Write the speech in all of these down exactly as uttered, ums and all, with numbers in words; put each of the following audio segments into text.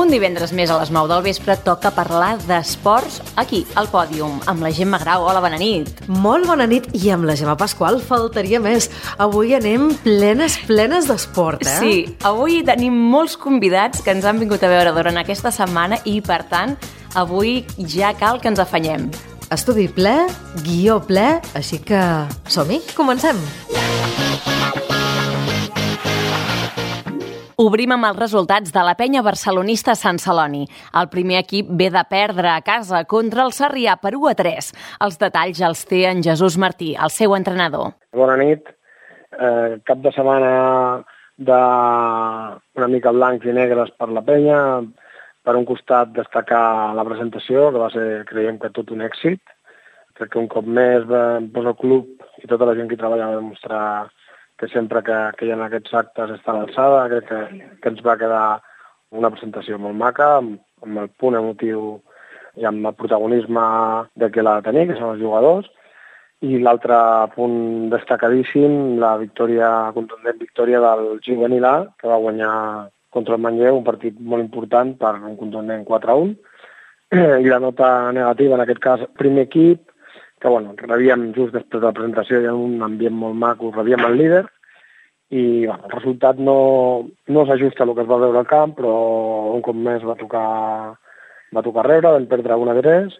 Un divendres més a les nou del vespre toca parlar d'esports aquí, al Pòdium, amb la Gemma Grau. Hola, bona nit. Molt bona nit, i amb la Gemma Pasqual faltaria més. Avui anem plenes, plenes d'esport, eh? Sí, avui tenim molts convidats que ens han vingut a veure durant aquesta setmana i, per tant, avui ja cal que ens afanyem. Estudi ple, guió ple, així que som-hi, comencem. Obrim amb els resultats de la penya barcelonista Sant Celoni. El primer equip ve de perdre a casa contra el Sarrià per u a tres. Els detalls els té en Jesús Martí, el seu entrenador. Bona nit. Eh, cap de setmana de una mica blancs i negres per la penya. Per un costat, destacar la presentació, que va ser, creiem que tot un èxit. Crec que un cop més doncs, el club i tota la gent que hi treballa va demostrar que sempre que, que hi ha aquests actes està a l'alçada. Crec que, que ens va quedar una presentació molt maca, amb, amb el punt emotiu i amb el protagonisme de que l'ha de tenir, que són els jugadors. I l'altre punt destacadíssim, la victòria, contundent victòria del juvenil A, que va guanyar contra el Manlleu, un partit molt important per un contundent quatre a un. I la nota negativa, en aquest cas, primer equip, que bueno, rebíem just després de la presentació, hi ha un ambient molt maco, rebíem el líder, i bueno, el resultat no, no s'ajusta al que es va veure al camp, però un cop més va tocar, va tocar rebre, vam perdre un a tres.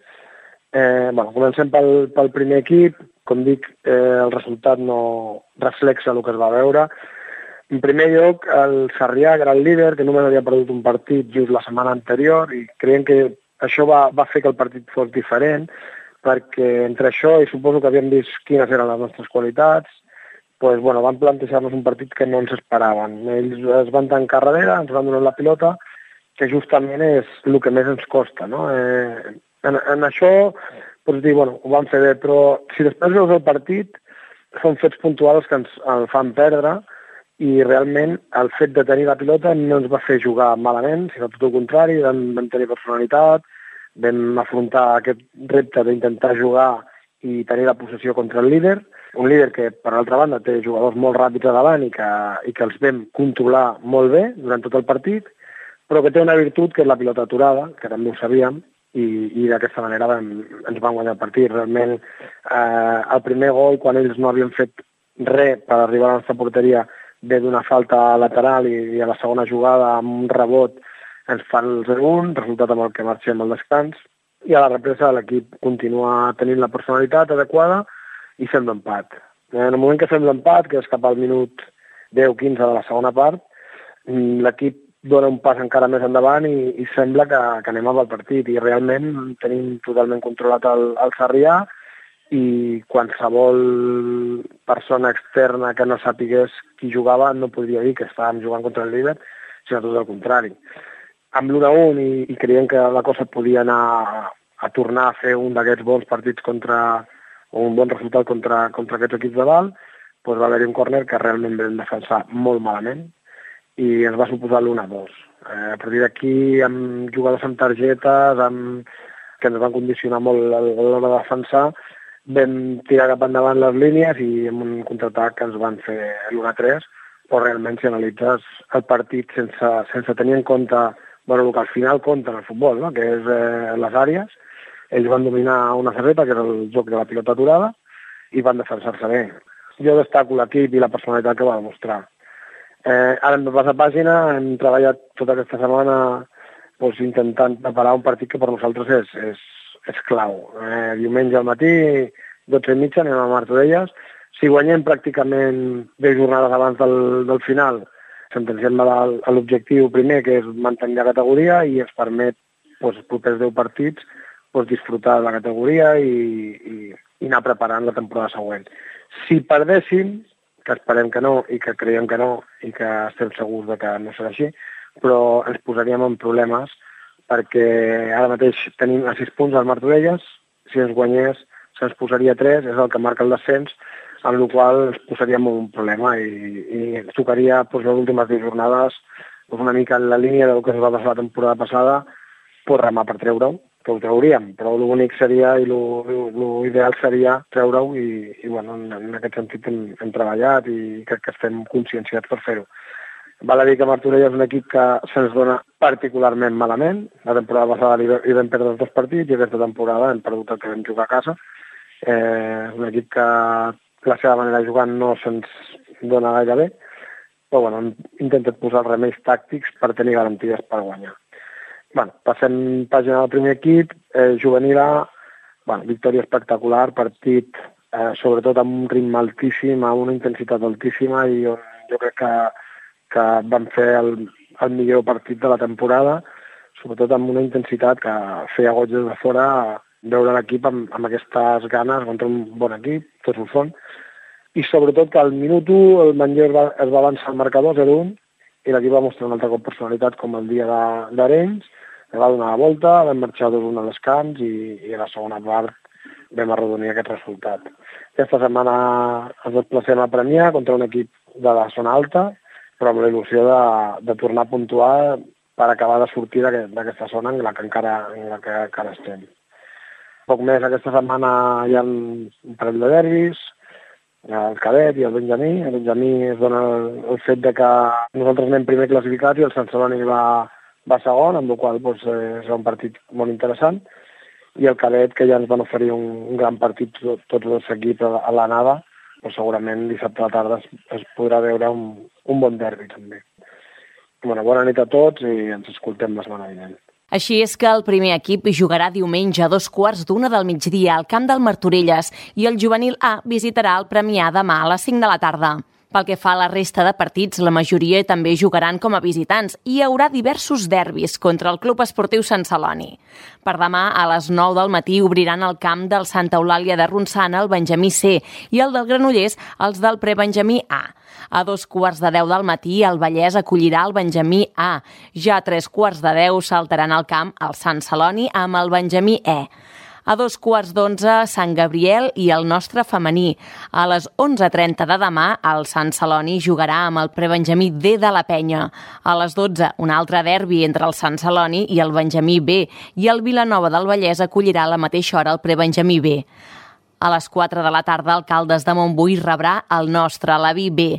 Eh, bueno, comencem pel, pel primer equip, com dic, eh, el resultat no reflexa el que es va veure. En primer lloc, el Sarrià, que era el líder, que només havia perdut un partit just la setmana anterior, i creiem que això va, va fer que el partit fos diferent, perquè entre això i suposo que havíem vist quines eren les nostres qualitats, doncs, bueno, van plantejar-nos un partit que no ens esperaven. Ells es van tancar darrere, ens van donar la pilota, que justament és el que més ens costa, no? Eh, en, en això, pots dir, bueno, ho van fer bé, però si després veus el partit, són fets puntuals que ens el fan perdre, i realment el fet de tenir la pilota no ens va fer jugar malament, sinó tot el contrari, vam, vam tenir personalitat, vam afrontar aquest repte d'intentar jugar i tenir la possessió contra el líder, un líder que, per altra banda, té jugadors molt ràpids a davant i que, i que els vam controlar molt bé durant tot el partit, però que té una virtut que és la pilota aturada, que també ho sabíem, i, i d'aquesta manera vam, ens van guanyar el partit. Realment, eh, el primer gol, quan ells no havien fet res per arribar a la nostra porteria, ve d'una falta lateral i, i a la segona jugada, amb un rebot, ens fan el zero un, resultat amb el que marxem al descans, i a la represa l'equip continua tenint la personalitat adequada i fem l'empat. En el moment que fem l'empat, que és cap al minut deu quinze de la segona part, l'equip dona un pas encara més endavant i, i sembla que, que anem amb el partit, i realment tenim totalment controlat el, el Sarrià, i qualsevol persona externa que no sapigués qui jugava no podria dir que estàvem jugant contra el líder, sinó tot el contrari. Amb l'u a un i, i creiem que la cosa podia anar a, a tornar a fer un d'aquests bons partits contra, o un bon resultat contra, contra aquests equips de dalt, doncs va haver-hi un córner que realment vam defensar molt malament i ens va suposar l'u a dos. Eh, a partir d'aquí, amb jugadors amb targetes, amb, que ens van condicionar molt a l'hora de defensar, vam tirar cap endavant les línies i amb un contraatac que ens van fer l'u a tres, però realment si analitzes el partit sense, sense tenir en compte bueno, el que al final compta en el futbol, no? Que és eh, les àrees. Ells van dominar una cerreta, que és el joc de la pilota aturada, i van defensar-se bé. Jo destaco l'equip i la personalitat que va demostrar. Eh, ara hem de passar pàgina, hem treballat tota aquesta setmana doncs, intentant preparar un partit que per nosaltres és, és, és clau. Eh, diumenge al matí, dotze i mitja, anem a Martorelles. Si guanyem pràcticament deu jornades abans del, del final, sentenciem a l'objectiu primer, que és mantenir la categoria, i ens permet, doncs, els propers deu partits, doncs, disfrutar de la categoria i, i, i anar preparant la temporada següent. Si perdéssim, que esperem que no, i que creiem que no, i que estem segurs de que no serà així, però ens posaríem en problemes, perquè ara mateix tenim a sis punts al Martorelles, si ens guanyés se'ns posaria tres, és el que marca el descens, amb la qual cosa ens posaríem un problema i, i ens tocaria doncs, les últimes deu jornades doncs, una mica en la línia del que es va passar la temporada passada, pues, remar per treure-ho, que ho trauríem, però l'únic seria i l'ideal seria treure-ho i, i bueno, en, en aquest sentit hem, hem treballat i crec que estem conscienciats per fer-ho. Val a dir que Martorell és un equip que se'ns dona particularment malament. La temporada passada hi vam perdre els dos partits i aquesta temporada hem perdut el que vam jugar a casa. Eh, és un equip que la seva manera de jugar no se'ns dona gaire bé, però bueno, hem intentat posar els remeis tàctics per tenir garanties per guanyar. Bueno, passem pàgina del primer equip, eh, juvenil A, bueno, victòria espectacular, partit eh, sobretot amb un ritme altíssim, amb una intensitat altíssima i on jo crec que, que van fer el, el millor partit de la temporada, sobretot amb una intensitat que feia goig des de fora veure l'equip amb, amb aquestes ganes contra un bon equip, tots ho són, i sobretot que al minut u el Manlleu va, es va avançar al marcador zero un i l'equip va mostrar un altre cop personalitat com el dia d'Arenys, va donar la volta, vam marxar dos un a descans i, i a la segona part vam arrodonir aquest resultat. Aquesta setmana ens desplacem a Premià contra un equip de la zona alta, però amb la il·lusió de, de tornar a puntuar per acabar de sortir d'aquesta zona en la que encara, en la que encara estem. Poc més, aquesta setmana hi ha un parell de derbis, el cadet i el Benjamí. El Benjamí es dona el, el fet de que nosaltres anem primer classificats i el Sant Celoni va va segon, amb la qual cosa doncs, serà un partit molt interessant, i el cadet, que ja ens van oferir un, un gran partit tot, tots els equips a, a l'anada, però segurament dissabte a la tarda es, es podrà veure un, un bon derbi també. Bueno, bona nit a tots i ens escoltem la setmana vinent. Així és que el primer equip jugarà diumenge a dos quarts d'una del migdia al camp del Martorelles i el juvenil A visitarà el Premià demà a les cinc de la tarda. Pel que fa a la resta de partits, la majoria també jugaran com a visitants i hi haurà diversos derbis contra el Club Esportiu Sant Celoni. Per demà, a les nou del matí, obriran el camp del Santa Eulàlia de Ronçana el Benjamí C i el del Granollers els del Prebenjamí A. A dos quarts de deu del matí, el Vallès acollirà el Benjamí A. Ja a tres quarts de deu saltaran al camp el Sant Celoni amb el Benjamí E. A dos quarts d'onze, Sant Gabriel i el nostre femení. A les onze trenta de demà, el Sant Celoni jugarà amb el Prebenjamí D de la Penya. A les dotze, un altre derbi entre el Sant Celoni i el Benjamí B, i el Vilanova del Vallès acollirà a la mateixa hora el Prebenjamí B. A les quatre de la tarda, el Caldes de Montbui rebrà el nostre, l'Aví B.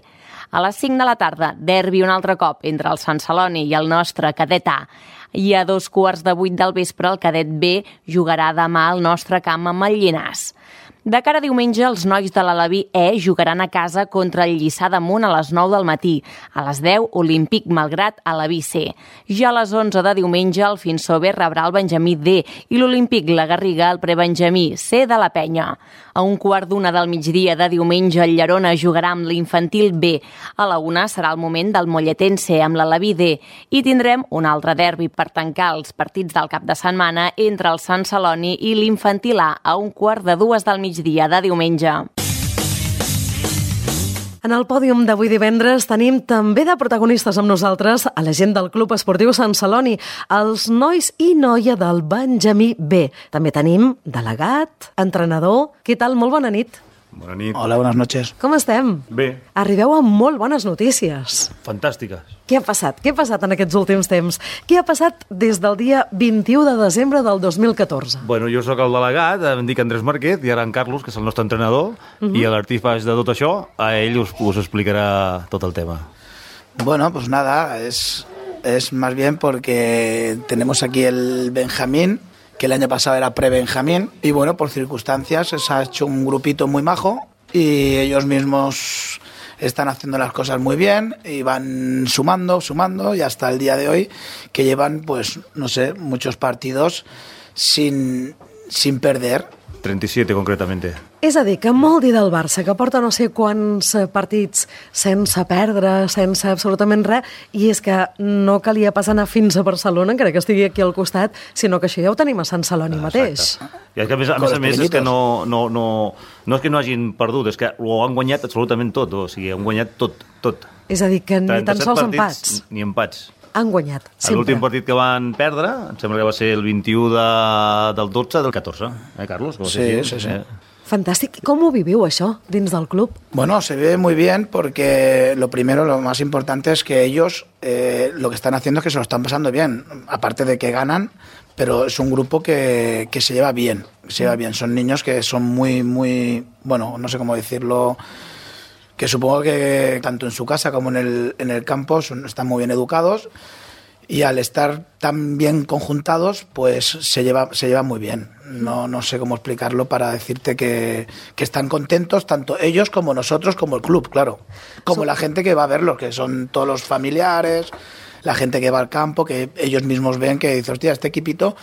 A les cinc de la tarda, derbi un altre cop entre el Sant Celoni i el nostre Cadet A. I a dos quarts de vuit del vespre el Cadet B jugarà demà al nostre camp amb el Llinars. De cara a diumenge, els nois de l'Alaví E jugaran a casa contra el Lliçà d'Amunt a les nou del matí. A les deu, Olímpic Malgrat Alaví C. Ja a les onze de diumenge, el Finsó B rebrà el Benjamí D i l'Olímpic La Garriga el Prebenjamí C de la Penya. A un quart d'una del migdia de diumenge, el Llerona jugarà amb l'Infantil B. A la una serà el moment del Molletense amb l'Alaví D. I tindrem un altre derbi per tancar els partits del cap de setmana entre el Sant Celoni i l'Infantil A a un quart de dues del migdia de diumenge. En el pòdium d'avui divendres tenim també de protagonistes amb nosaltres a la gent del Club Esportiu Sant Celoni, els nois i noia del Benjamí B. També tenim delegat, entrenador. Què tal? Molt bona nit. Bona nit. Hola, buenas noches. Com estem? Bé. Arribeu amb molt bones notícies. Fantàstiques. Què ha passat? Què ha passat en aquests últims temps? Què ha passat des del dia vint-i-u de desembre del dos mil catorze? Bueno, jo sóc el delegat, em dic Andrés Marquet, i ara en Carlos, que és el nostre entrenador, uh-huh. i l'artífex de tot això, a ell us, us explicarà tot el tema. Bueno, pues nada, es, es más bien porque tenemos aquí el Benjamín, que el año pasado era pre-Benjamín, y bueno, por circunstancias se ha hecho un grupito muy majo y ellos mismos están haciendo las cosas muy bien y van sumando, sumando, y hasta el día de hoy que llevan, pues, no sé, muchos partidos sin, sin perder. trenta y siete, concretamente. És a dir, que molt dir del Barça, que porta no sé quants partits sense perdre, sense absolutament res, i és que no calia pas anar fins a Barcelona, encara que estigui aquí al costat, sinó que això ja ho tenim a Sant Celoni ah, mateix. I és que a més a més, a més és que no, no, no, no és que no hagin perdut, és que ho han guanyat absolutament tot, o sigui, han guanyat tot, tot. És a dir, que ni tan sols empats. Ni empats. Han guanyat, sempre. L'últim partit que van perdre, em sembla que va ser el vint-i-u de, del dotze del catorze, eh, Carlos? Sí, sí, sí. Eh? Fantàstic. ¿Cómo viviu això dins del club? Bueno, se vive muy bien porque lo primero, lo más importante es que ellos eh, lo que están haciendo es que se lo están pasando bien, aparte de que ganan, pero es un grupo que, que se lleva bien, se lleva bien. Son niños que son muy, muy, bueno, no sé cómo decirlo, que supongo que tanto en su casa como en el, en el campo son, están muy bien educados y al estar tan bien conjuntados, pues se lleva, se llevan muy bien. No, no sé cómo explicarlo para decirte que, que están contentos, tanto ellos como nosotros, como el club, claro. Como la gente que va a verlos, que son todos los familiares, la gente que va al campo, que ellos mismos ven que dice, hostia, este equipito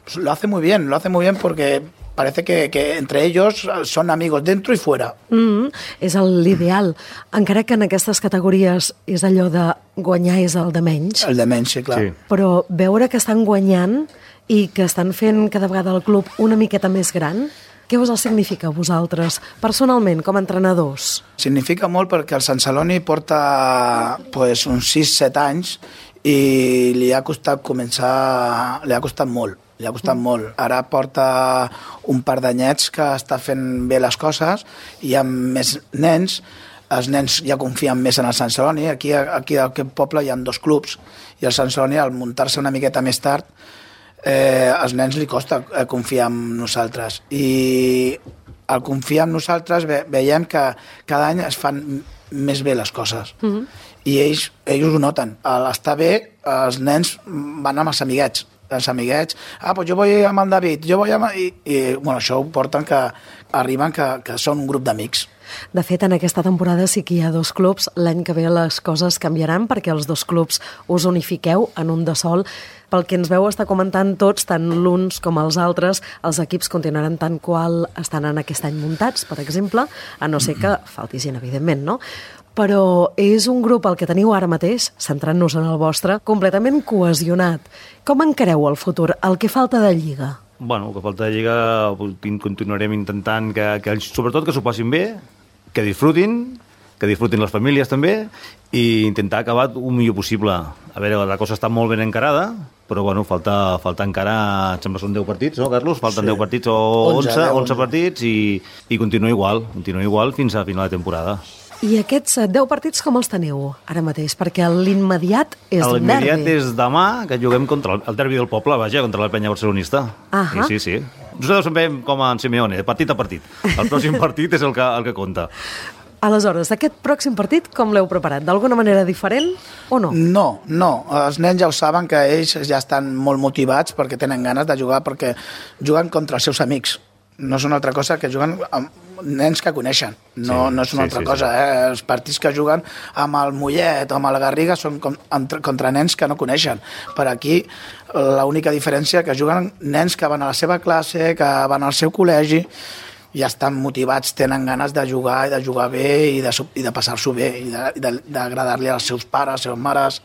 pues, lo hace muy bien, lo hace muy bien porque parece que, que entre ells són amigos dentro i fuera. Mm, és l'ideal. Encara que en aquestes categories és allò de guanyar és el de menys. El de menys, sí, clar. Sí. Però veure que estan guanyant i que estan fent cada vegada el club una miqueta més gran, què us el significa a vosaltres, personalment, com a entrenadors? Significa molt perquè el Sant Celoni porta pues, uns sis set anys i li ha costat començar, li ha costat molt. Li ha costat molt. Ara porta un par d'anyets que està fent bé les coses i amb més nens, els nens ja confien més en el Sant Celoni. Aquí, aquí d'aquest poble hi ha dos clubs i el Sant Celoni, al muntar-se una miqueta més tard, eh, als nens li costa confiar en nosaltres. I al confiar en nosaltres ve, veiem que cada any es fan més bé les coses. Mm-hmm. I ells, ells ho noten. A l'estar bé, els nens van amb els amiguets. els amiguets, ah, pues jo vull amb el David, jo vull amb... I, i bueno, això ho porten que arriben que, que són un grup d'amics. De fet, en aquesta temporada sí que hi ha dos clubs. L'any que ve les coses canviaran perquè els dos clubs us unifiqueu en un de sol. Pel que ens veu estar comentant tots, tant l'uns com els altres, els equips continuaran tant qual estan en aquest any muntats, per exemple, a no ser que falti gent, evidentment, no? Però és un grup el que teniu ara mateix, centrant-nos en el vostre, completament cohesionat. Com encareu el futur, el que falta de Lliga? Bueno, el que falta de Lliga continuarem intentant que, que sobretot que s'ho passin bé, que disfrutin, que disfrutin les famílies també, i intentar acabar el millor possible. A veure, la cosa està molt ben encarada, però bueno, falta, falta encara, em sembla són deu partits, no, Carlos? Falten sí. deu partits o onze, onze partits i, i continua igual, continua igual fins a final de temporada. I aquests deu partits com els teniu ara mateix? Perquè l'immediat és el derbi. L'immediat és demà, que juguem contra el, el derbi del poble, vaja, contra la penya barcelonista. Ahà. Sí, sí, sí. Nosaltres sempre com en Simeone, partit a partit. El pròxim partit és el que, el que compta. Aleshores, aquest pròxim partit com l'heu preparat? D'alguna manera diferent o no? No, no. Els nens ja ho saben que ells ja estan molt motivats perquè tenen ganes de jugar, perquè juguen contra els seus amics. No és una altra cosa que juguen amb nens que coneixen. No, sí, no és una sí, altra sí, cosa. Sí. Eh? Els partits que juguen amb el Mollet o amb el Garriga són contra nens que no coneixen. Per aquí, l'única diferència que juguen nens que van a la seva classe, que van al seu col·legi, ja estan motivats, tenen ganes de jugar i de jugar bé i de, i de passar-s'ho bé i d'agradar-li als seus pares, als seus mares.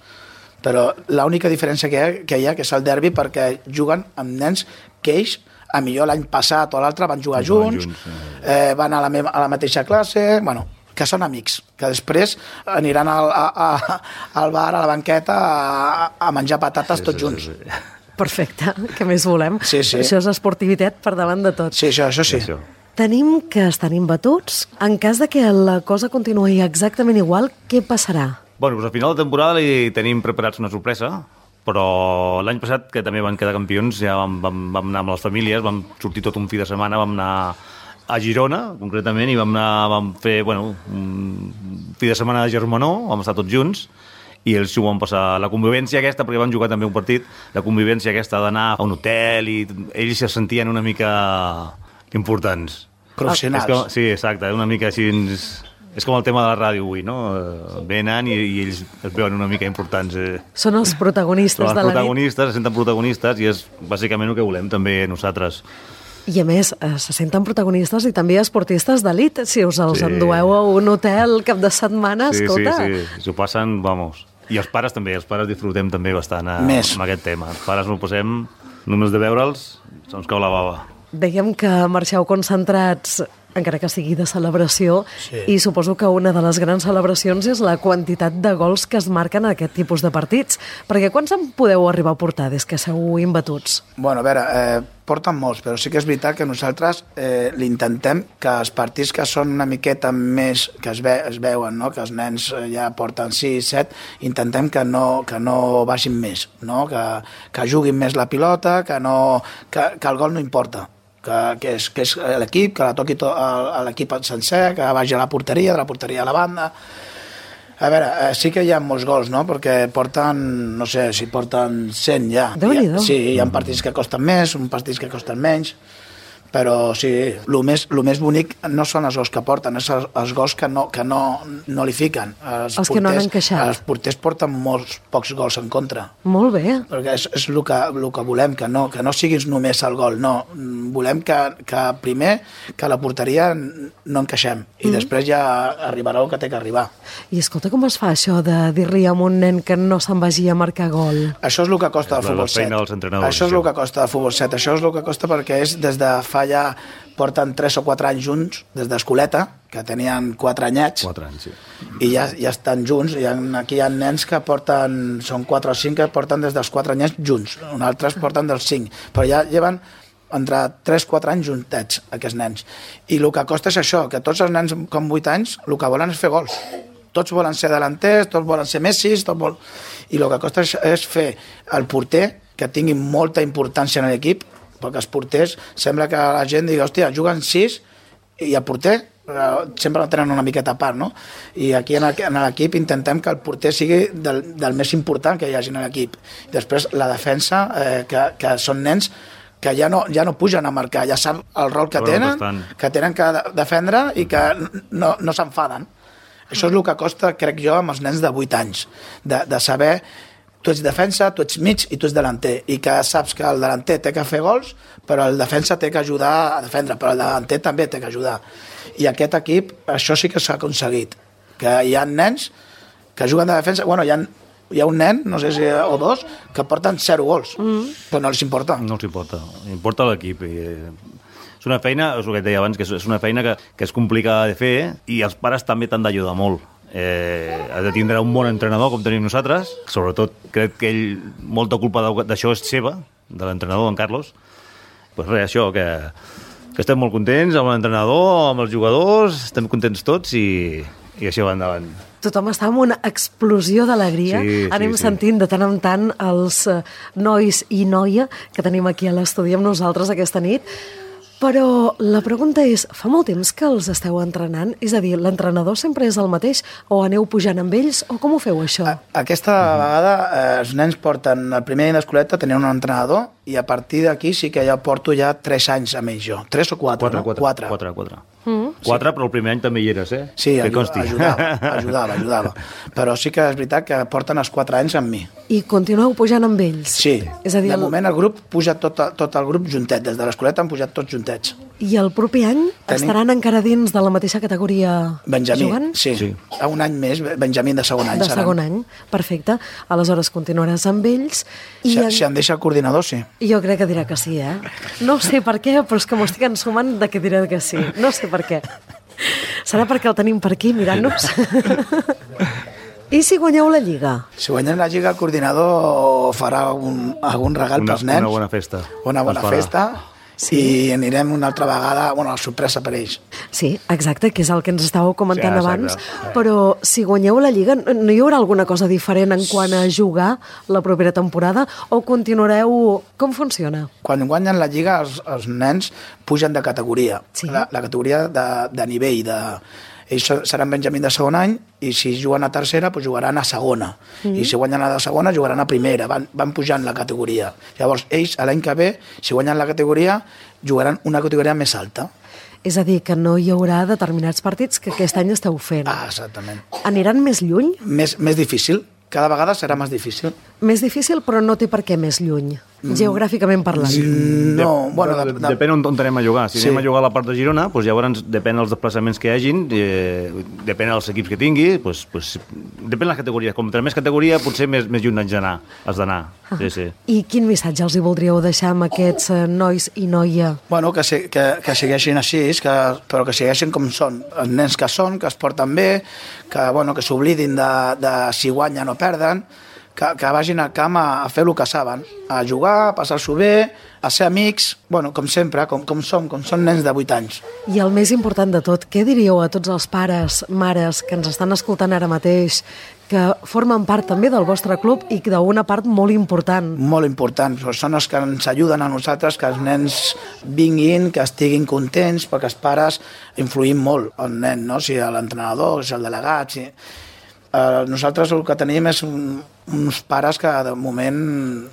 Però l'única diferència que hi ha, que hi ha que és el derbi, perquè juguen amb nens que ells a millor l'any passat o l'altre van jugar junts, junts eh, van a la, meva, a la mateixa classe, bueno, que són amics, que després aniran al, a, a, al bar, a la banqueta, a, a menjar patates sí, tots junts. Sí, sí. Perfecte, què més volem? Sí, sí. Això és esportivitat per davant de tot. Sí, això, això sí. Això. Tenim que estan imbatuts. En cas de que la cosa continuï exactament igual, què passarà? Bueno, doncs al final de temporada li tenim preparats una sorpresa, però l'any passat, que també van quedar campions, ja vam, vam, vam anar amb les famílies, vam sortir tot un fi de setmana, vam anar a Girona, concretament, i vam, anar, vam fer bueno, un fi de setmana de germanor, vam estar tots junts, i ells s'ho van passar. La convivència aquesta, perquè van jugar també un partit, la convivència aquesta d'anar a un hotel, i ells se sentien una mica importants. Professionals. Com, sí, exacte, una mica així... És com el tema de la ràdio avui, no? Venen i, i ells es veuen una mica importants. Eh. Són els protagonistes Són els de la nit. protagonistes, se senten protagonistes i és bàsicament el que volem també nosaltres. I a més, se senten protagonistes i també esportistes d'elit. Si us els sí. endueu a un hotel cap de setmana, sí, escolta... Sí, sí, s'ho passen, vamos... I els pares també, els pares disfrutem també bastant a, amb aquest tema. Els pares no posem, només de veure'ls, se'ns cau la bava. Dèiem que marxeu concentrats, encara que sigui de celebració, sí. I suposo que una de les grans celebracions és la quantitat de gols que es marquen en aquest tipus de partits. Perquè quants en podeu arribar a portar des que sou imbatuts? Bueno, a veure, eh, porten molts, però sí que és veritat que nosaltres eh, l'intentem que els partits que són una miqueta més, que es, ve, es veuen, no? Que els nens ja porten sis, set, intentem que no, que no baixin més, no? Que, que juguin més la pilota, que, no, que, que el gol no importa. que, que, és, que és l'equip, que la toqui to, a l'equip sencer, que vagi a la porteria, de la porteria a la banda. A veure, eh, sí que hi ha molts gols, no? Perquè porten, no sé, si porten cent ja. Déu-n'hi-do. Sí, hi ha partits que costen més, uns partits que costen menys, però sí, el més, el més bonic no són els gols que porten, és els, els gols que no, que no, no li fiquen. Els, els porters, que no han encaixat. Els porters porten molts pocs gols en contra. Molt bé. Perquè és, és el, que, el que volem, que no, que no siguis només el gol, no. Volem que, que primer, que a la porteria no encaixem, i mm. després ja arribarà el que té que arribar. I escolta, com es fa això de dir-li a un nen que no se'n vagi a marcar gol? Això és el que costa el futbol set. Això és el que costa el futbol set. Això és el que costa perquè és des de fa ja porten tres o quatre anys junts, des d'escoleta, que tenien quatre anyets, quatre anys, sí. I ja, ja estan junts. I aquí hi ha nens que porten, són quatre o cinc que porten des dels quatre anyets junts, uns altres porten dels cinc, però ja lleven entre tres o quatre anys juntets, aquests nens. I el que costa és això, que tots els nens com vuit anys el que volen és fer gols. Tots volen ser delanters, tots volen ser Messis, tots vol... i el que costa és, és fer el porter que tingui molta importància en l'equip, perquè els porters sembla que la gent digui, hòstia, juguen sis i el porter sempre el tenen una miqueta a part, no? I aquí en l'equip intentem que el porter sigui del, del més important que hi hagi en l'equip. Després la defensa, eh, que, que són nens que ja no, ja no pugen a marcar, ja sap el rol que tenen, que tenen que defendre i que no, no s'enfaden. Això és el que costa, crec jo, amb els nens de vuit anys, de, de saber tu ets defensa, tu ets mig i tu ets delanter, i que saps que el delanter té que fer gols, però el defensa té que ajudar a defendre, però el delanter també té que ajudar. I aquest equip, això sí que s'ha aconseguit, que hi ha nens que juguen de defensa, bueno, hi ha, hi ha un nen, no sé si o dos, que porten zero gols, mm. però no els importa. No els importa, importa l'equip. I, és una feina, és el que et deia abans, que és una feina que, que és complicada de fer, i els pares també t'han d'ajudar molt. Eh, has de tindre un bon entrenador com tenim nosaltres, sobretot crec que ell molta culpa d'això és seva, de l'entrenador, en Carlos. Pues res, això, que, que estem molt contents amb l'entrenador, amb els jugadors, estem contents tots i, i això va endavant. Tothom està amb una explosió d'alegria. Sí, Anem sí, sentint sí. de tant en tant els nois i noia que tenim aquí a l'estudi amb nosaltres aquesta nit. Però la pregunta és, fa molt temps que els esteu entrenant? És a dir, l'entrenador sempre és el mateix? O aneu pujant amb ells? O com ho feu, això? Aquesta uh-huh. vegada eh, els nens porten, el primer any d'escoleta tenien un entrenador, i a partir d'aquí sí que ja porto ja tres anys amb ells jo. Tres o quatre, quatre, no? Quatre. Quatre, quatre. quatre. Mm. Quatre, sí. Però el primer any també hi eres, eh? Sí, ajuda, ajudava, ajudava, ajudava. Però sí que és veritat que porten els quatre anys amb mi. I continueu pujant amb ells? Sí, és a dir, de el... moment el grup puja tot, tot el grup juntet, des de l'escoleta han pujat tots juntets. I el proper any Tenim... estaran encara dins de la mateixa categoria Benjamí, jugant? Sí, sí. A un any més, Benjamí de segon any. De seran. segon any, perfecte. Aleshores continuaràs amb ells. I si, en... si em deixa el coordinador, sí. Jo crec que dirà que sí, eh? No sé per què, però és que m'ho estic ensumant de que dirà que sí. No sé per què. Serà perquè el tenim per aquí mirant-nos? I si guanyeu la Lliga? Si guanyem la Lliga, el coordinador farà un, algun regal una, pels nens. Una bona festa. Una bona festa. Sí. I anirem una altra vegada, bueno, la sorpresa per ells. Sí, exacte, que és el que ens estàveu comentant sí, abans, però si guanyeu la Lliga, no hi haurà alguna cosa diferent en quant a jugar la propera temporada, o continuareu... Com funciona? Quan guanyen la Lliga, els, els nens pugen de categoria, sí. la, la categoria de, de nivell, de... Ells seran Benjamí de segon any, i si juguen a tercera, doncs jugaran a segona. Mm. I si guanyen a la segona, jugaran a primera. Van, van pujant la categoria. Llavors, ells, l'any que ve, si guanyen la categoria, jugaran una categoria més alta. És a dir, que no hi haurà determinats partits que aquest any esteu fent. Ah, exactament. Aniran més lluny? Més, més difícil. Cada vegada serà més difícil. Més difícil, però no té per què més lluny, mm. geogràficament parlant. Mm, no, de, bueno... De, de, de... Depèn on, on anem a jugar. Si sí. anem a jugar a la part de Girona, doncs llavors depèn dels desplaçaments que hi hagin, eh, depèn dels equips que tingui, doncs, doncs, depèn les categories. Com entre més categoria, potser més, més lluny has d'anar. Has d'anar. Ah. Sí, sí. I quin missatge els hi voldríeu deixar amb aquests eh, nois i noia? Bueno, que, se, que, que segueixin així, que, però que segueixin com són. Els nens que són, que es porten bé, que, bueno, que s'oblidin de, de si guanyen o perden, que, que vagin al camp a, a fer el que saben, a jugar, a passar-s'ho bé, a ser amics, bueno, com sempre, com, com som, com són nens de vuit anys. I el més important de tot, què diríeu a tots els pares, mares, que ens estan escoltant ara mateix, que formen part també del vostre club i d'una part molt important. Molt important. Són els que ens ajuden a nosaltres, que els nens vinguin, que estiguin contents, perquè els pares influïm molt el nen, no? Si l'entrenador, si el delegat... Si... Uh, nosaltres el que tenim és un, uns pares que de moment...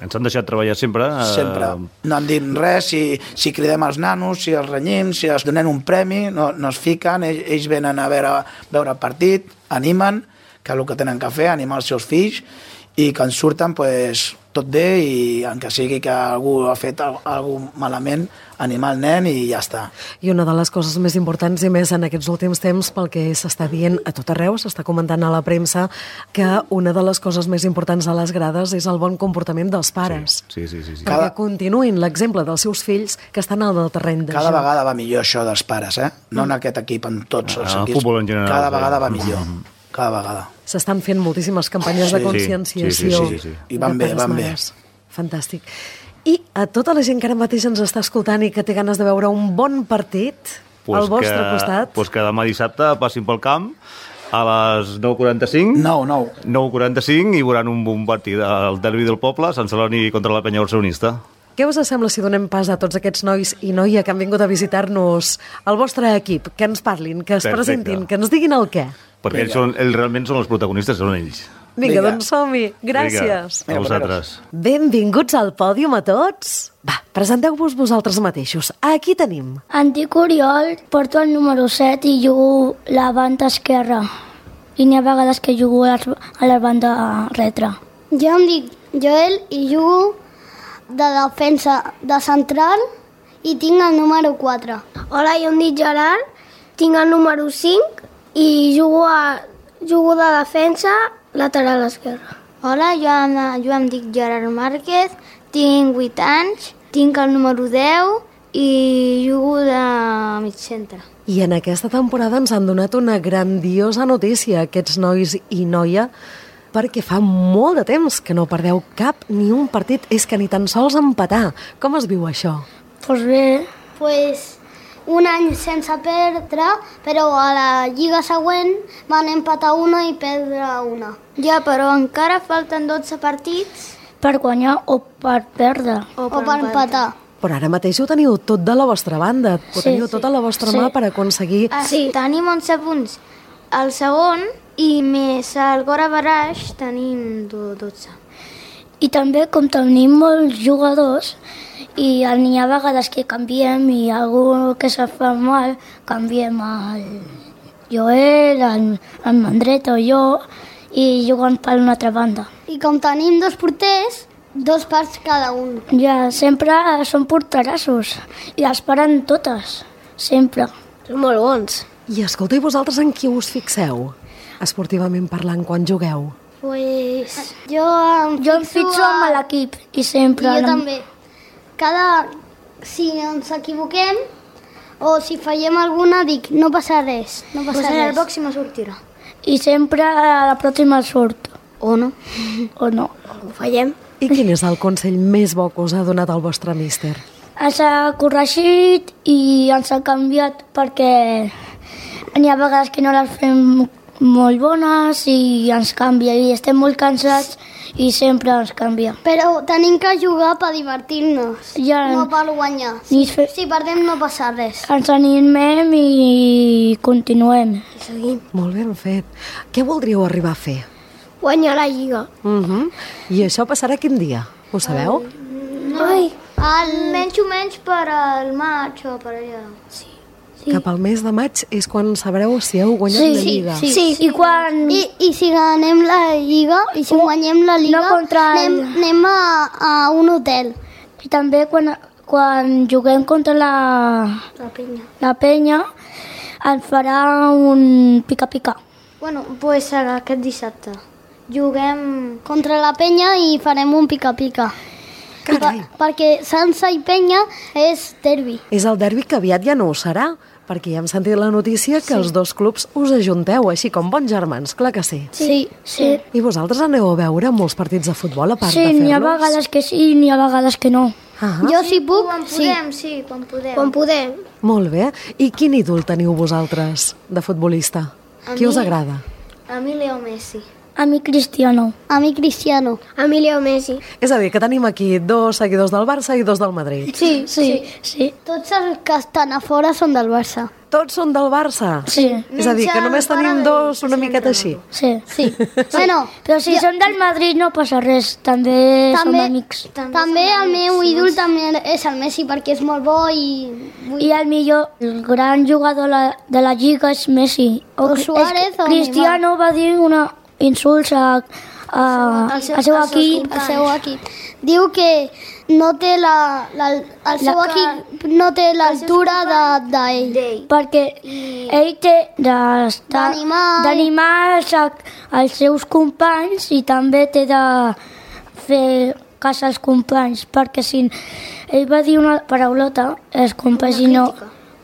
Ens han deixat treballar sempre. Uh... Sempre. No han dit res, si, si cridem els nanos, si els renyim, si els donem un premi, no, no es fiquen, ells, ells venen a veure, veure el partit, animen, que és el que tenen que fer, animar els seus fills, i que en surten pues, tot bé, i encara sigui que algú ha fet alguna cosa malament, animar el nen i ja està. I una de les coses més importants, i més en aquests últims temps, pel que s'està dient a tot arreu, s'està comentant a la premsa, que una de les coses més importants a les grades és el bon comportament dels pares. Sí, sí, sí. sí, sí. Perquè Cada... continuïn l'exemple dels seus fills que estan al terreny de Cada joc. vegada va millor això dels pares, eh? No en aquest equip, en tots els En el equips. futbol en general, Cada sí. vegada va millor. Cada vegada. S'estan fent moltíssimes campanyes Sí, de conscienciació. sí, sí, sí, sí. I van de bé, pares, van bé. mares. Fantàstic. I a tota la gent que ara mateix ens està escoltant i que té ganes de veure un bon partit Pues al vostre que, costat... Pues que demà dissabte passin pel camp a les nou quaranta-cinc. Nou, nou. nou quaranta-cinc i veuran un bon partit al derbi del poble, Sant Celoni contra la Penya Barcelonista. Què us sembla si donem pas a tots aquests nois i noia que han vingut a visitar-nos al vostre equip? Que ens parlin, que es Perfecte. presentin, que ens diguin el què. Perquè ells, són, ells realment són els protagonistes, són ells. Vinga, Vinga. doncs som-hi. Gràcies. Vinga, a vosaltres. Benvinguts al pòdium a tots. Va, presenteu-vos vosaltres mateixos. Aquí tenim. Em dic Oriol, porto el número set i jugo la banda esquerra. I n'hi ha vegades que jugo a la- a la banda retra. Jo em dic Joel i jugo de defensa de central i tinc el número quatre. Hola, jo em dic Gerard, tinc el número cinc i jugo, a, jugo de defensa lateral esquerra. Hola, jo em, jo em dic Gerard Márquez, tinc vuit anys, tinc el número deu i jugo de mig centre. I en aquesta temporada ens han donat una grandiosa notícia, aquests nois i noia, perquè fa molt de temps que no perdeu cap ni un partit, és que ni tan sols empatar. Com es viu això? Pues bé, Pues un any sense perdre, però a la lliga següent van empatar una i perdre una. Ja, però encara falten dotze partits per guanyar o per perdre. o per, o per empatar. Però ara mateix ho teniu tot de la vostra banda, ho Sí, teniu sí. tot a la vostra Sí. mà per aconseguir... Ah, sí, tenim onze punts al segon i més el Gora Baraix tenim dotze. I també, com tenim molts jugadors, i n'hi ha vegades que canviem i algú que se fa mal, canviem el Joel, el, el Mandreta o jo, i juguen per una altra banda. I com tenim dos porters, dos parts cada un. Ja, sempre són porterassos i les paren totes, sempre. Són molt bons. I escolta, i vosaltres en qui us fixeu? Esportivament parlant, quan jugueu? Pues jo em Jo em fixo a- amb l'equip i sempre... I jo no- també. Cada... Si ens equivoquem o si fallem alguna, dic, no passa res, no passa Pues en res. el pròxim sortirà. I sempre a la pròxima surt. O no. O no. Ho fallem. I quin és el consell més bo que us ha donat el vostre míster? Ens ha corregit i ens ha canviat perquè n'hi ha vegades que no les fem molt bones i ens canvia i estem molt cansats i sempre ens canvia. Però tenim que jugar per divertir-nos, Ja, no per guanyar. ni fe... Si perdem no passa res. Ens animem i continuem. I seguim. Molt ben fet. Què voldríeu arribar a fer? Guanyar la lliga. Uh -huh. I això passarà quin dia? Ho sabeu? Ai, El... Menys o menys per al maig o per allà. sí. Sí. Cap al mes de maig és quan sabreu si heu guanyat la Lliga. Sí, sí, i quan... I, I si ganem la Lliga, i si guanyem la Lliga, no contra el- anem, anem a, a un hotel. I també quan, quan juguem contra la, La penya. la penya ens farà un pica-pica. Bueno, doncs pues aquest dissabte. Juguem contra la penya i farem un pica-pica. Carai. Per, perquè Sansa i Penya és derbi. És el derbi que aviat ja no ho serà, perquè ja hem sentit la notícia que sí. els dos clubs us ajunteu, així com bons germans, clar que sí. Sí, sí. I vosaltres aneu a veure molts partits de futbol a part Sí, de fer-los? n'hi ha vegades que sí i n'hi ha vegades que no. Ah, Jo si puc, Quan sí. podem, sí. Quan podem. Quan podem. molt bé. I quin ídol teniu vosaltres de futbolista? A Qui us mi- agrada? A mi Leo Messi. A mi Cristiano. A mi Cristiano. A mi Leo Messi. És a dir, que tenim aquí dos seguidors del Barça i dos del Madrid. Sí, sí, sí. Tots els que estan a fora són del Barça. Tots són del Barça? Sí. És a dir, que només tenim dos una miqueta així. Sí. Sí. Bueno, Però si són del Madrid no passa res, també, som també, amics. també el meu ídol també és el Messi perquè és molt bo i... I el millor, el gran jugador la- de la Lliga és Messi. O Suárez o Cristiano va dir una insults a, a, al seu, seu equip. El seu equip. Diu que no té la, la, el seu La- equip no té l'altura de- d'ell. Perquè ell té d'estar- D'animar- d'animar els, els seus companys i també té de fer cas als companys, perquè si ell va dir una paraulota, els companys i no...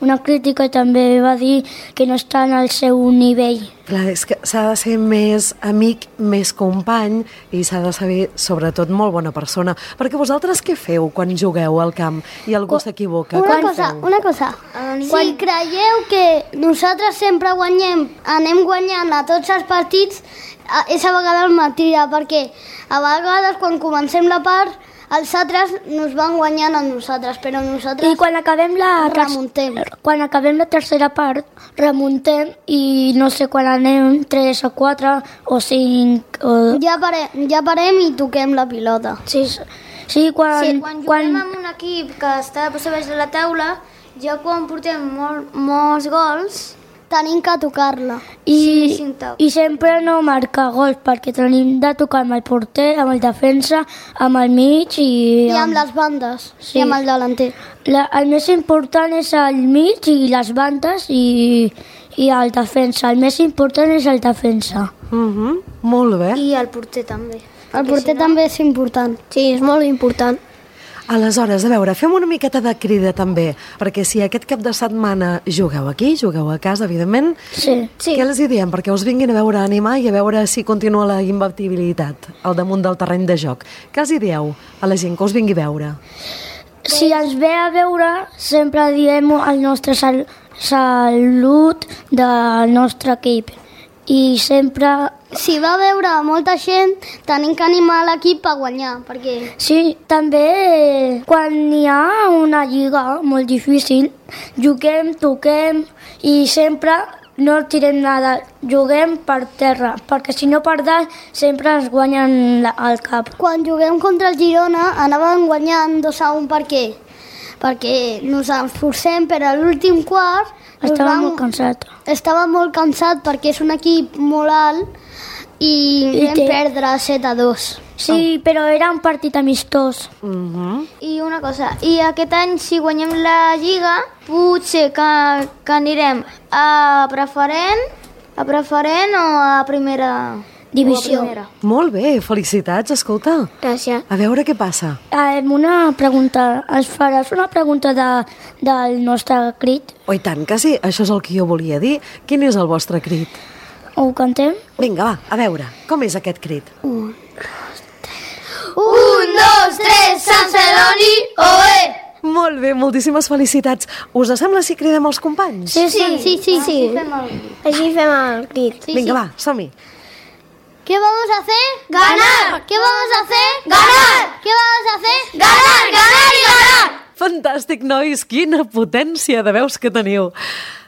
Una crítica i també va dir que no estan al seu nivell. Clar, és que s'ha de ser més amic, més company i s'ha de saber, sobretot, molt bona persona. Perquè vosaltres què feu quan jugueu al camp i algú s'equivoca? Una Com cosa, feu? una cosa. Si creieu que nosaltres sempre guanyem, anem guanyant a tots els partits, a- és a vegades mentida, perquè a vegades quan comencem la part els altres nos van guanyant a nosaltres, però nosaltres I quan acabem la, ter- remuntem. quan acabem la tercera part, remuntem i no sé quan anem, tres o quatre o cinc... O... Ja, pare, ja parem i toquem la pilota. Sí, sí, quan... Sí, quan juguem amb un equip que està a baix de la taula, ja quan portem molt, molts gols, Tenim que tocar-la. I, Sí, cinc tocs. I sempre no marcar gols, perquè tenim de tocar amb el porter, amb el defensa, amb el mig i... I amb les bandes, Sí. i amb el delanter. La, el més important és el mig i les bandes i, i el defensa. El més important és el defensa. Mhm, molt bé. i el porter també. El porter també és important. Sí, és molt important. Aleshores, a veure, fem una miqueta de crida també, perquè si aquest cap de setmana jugueu aquí, jugueu a casa, evidentment, Sí. sí. Què els hi diem? Perquè us vinguin a veure a animar i a veure si continua la imbatibilitat al damunt del terreny de joc. Què els hi dieu a la gent que us vingui a veure? Si ens ve a veure, sempre diem el nostre sal salut del nostre equip. I sempre... Si va veure molta gent, tenim que animar l'equip a guanyar, perquè Sí, també eh, quan hi ha una lliga molt difícil, juguem, toquem i sempre no tirem nada, juguem per terra, perquè si no per dalt sempre ens guanyen la, el cap. quan juguem contra el Girona anàvem guanyant dos a un per què? Perquè nos esforcem, però a l'últim quart nos Estava vam- molt cansat. estava molt cansat perquè és un equip molt alt i I vam té- perdre set a dos. Sí, però era un partit amistós. Mhm. I una cosa, i aquest any si guanyem la Lliga, potser que, que anirem a preferent, a preferent o a primera Divisió. o a primera. Molt bé, felicitats, escolta. Gràcies. A veure què passa. Eh, una pregunta, ens faràs una pregunta de, del nostre crit? Oh, i tant que sí, això és el que jo volia dir. Quin és el vostre crit? Ho cantem? Vinga, va, a veure, com és aquest crit? Un, dos, tres, Sant Celoni, oe! Molt bé, moltíssimes felicitats. Us sembla si cridem els companys? Sí, sí, sí, sí, sí. Així fem el crit. Sí, Vinga, sí. va, som-hi. ¿Qué vamos a hacer? Ganar. ¿Qué vamos a hacer? Ganar. ¿Qué vamos a hacer? Ganar, ganar i ganar! Fantàstic, nois, quina potència de veus que teniu.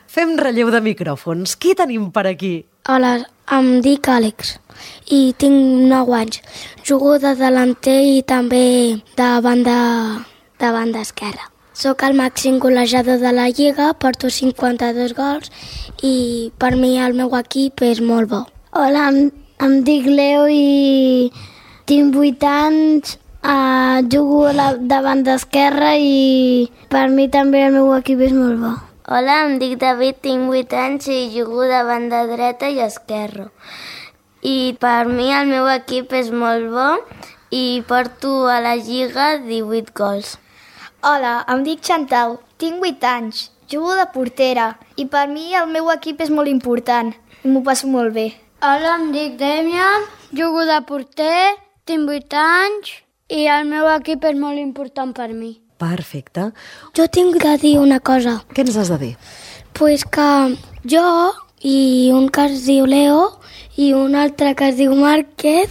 Fem relleu de micròfons. Qui tenim per aquí? Hola, em dic Àlex i tinc nou anys. Jugo de delanter i també de banda, de banda esquerra. Soc el màxim golejador de la Lliga, porto cinquanta-dos gols i per mi el meu equip és molt bo. Hola, em, em dic Leo i tinc vuit anys, uh, jugo a la, davant d'esquerra i per mi també el meu equip és molt bo. Hola, em dic David, tinc vuit anys i jugo de banda dreta i esquerra. I per mi el meu equip és molt bo i porto a la Lliga divuit gols. Hola, em dic Chantal, tinc vuit anys, jugo de portera i per mi el meu equip és molt important i m'ho passo molt bé. Hola, em dic Demian, jugo de porter, tinc vuit anys i el meu equip és molt important per mi. Perfecte. Jo tinc que dir una cosa. Què ens has de dir? Pues que jo i un que es diu Leo i un altre que es diu Márquez,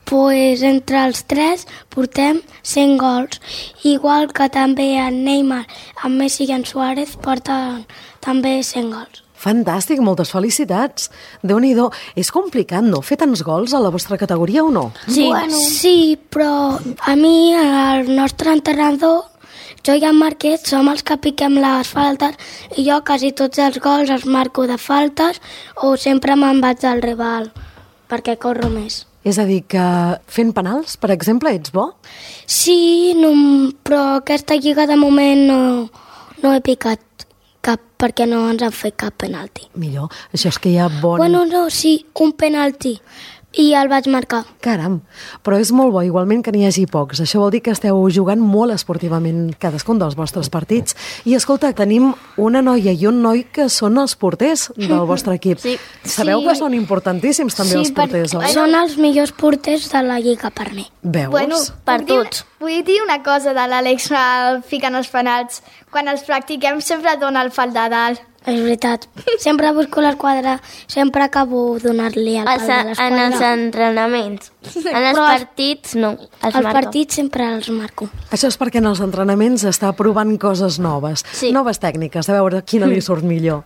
pues entre els tres portem cent gols. Igual que també en Neymar, en Messi i en Suárez porten també cent gols. Fantàstic, moltes felicitats. Déu-n'hi-do. És complicat, no?, fer tants gols a la vostra categoria o no? Sí, bueno. sí, però a mi, el nostre entrenador, jo i en Márquez som els que piquem les faltes i jo quasi tots els gols els marco de faltes o sempre me'n vaig del rival perquè corro més. És a dir, que fent penals, per exemple, ets bo? Sí, no, però aquesta lliga de moment no, no he picat cap perquè no ens han fet cap penalti. Millor, això és que hi ha bon... Bueno, no, sí, un penalti. I el vaig marcar. Caram, però és molt bo, igualment que n'hi hagi pocs. Això vol dir que esteu jugant molt esportivament cadascun dels vostres partits. I escolta, tenim una noia i un noi que són els porters del vostre equip. Sí. Sabeu Sí. que són importantíssims també Sí, els porters, per... oi? Són els millors porters de la lliga per mi. Veus? Bueno, Per puc dir- tots. Vull dir una cosa de l'Àlex al ficant els penals. Quan els practiquem sempre dona el pal de dalt. És veritat. Sempre busco l'esquadra, sempre acabo donar-li el pal Els, de en l'esquadra. els entrenaments. En els Però els- partits, no. Els, Els marco. partits sempre els marco. Això és perquè en els entrenaments està provant coses noves, Sí. noves tècniques, a veure quina li surt millor.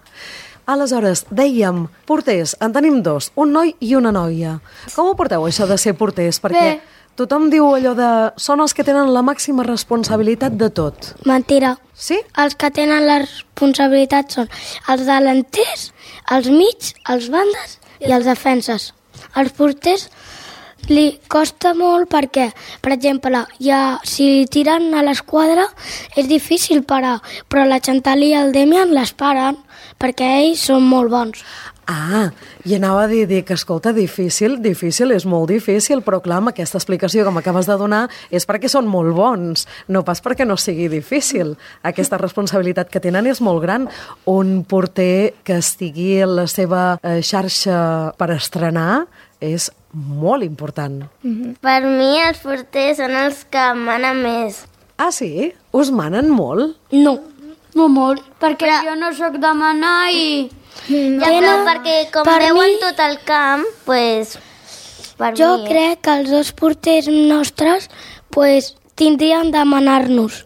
Aleshores, dèiem, porters, en tenim dos, un noi i una noia. Com ho porteu, això de ser porters? Perquè Bé. tothom diu allò de... Són els que tenen la màxima responsabilitat de tot. Mentira. Sí? Els que tenen la responsabilitat són els delanters, els mig, els bandes i els defenses. Els porters li costa molt perquè, per exemple, ja, si tiren a l'esquadra és difícil parar, però la Chantal i el Demian les paren perquè ells són molt bons. Ah, i anava a dir, dir que, escolta, difícil, difícil, és molt difícil, però clar, amb aquesta explicació que m'acabes de donar és perquè són molt bons, no pas perquè no sigui difícil. Aquesta responsabilitat que tenen és molt gran. Un porter que estigui en la seva eh, xarxa per estrenar és molt important. Per mi els porters són els que manen més. Ah, sí? Us manen molt? No. No molt, perquè jo no sóc de manar i... Ja, però perquè com per veuen mi- tot el camp, pues, per Jo mi... crec que els dos porters nostres pues, tindrien de manar-nos,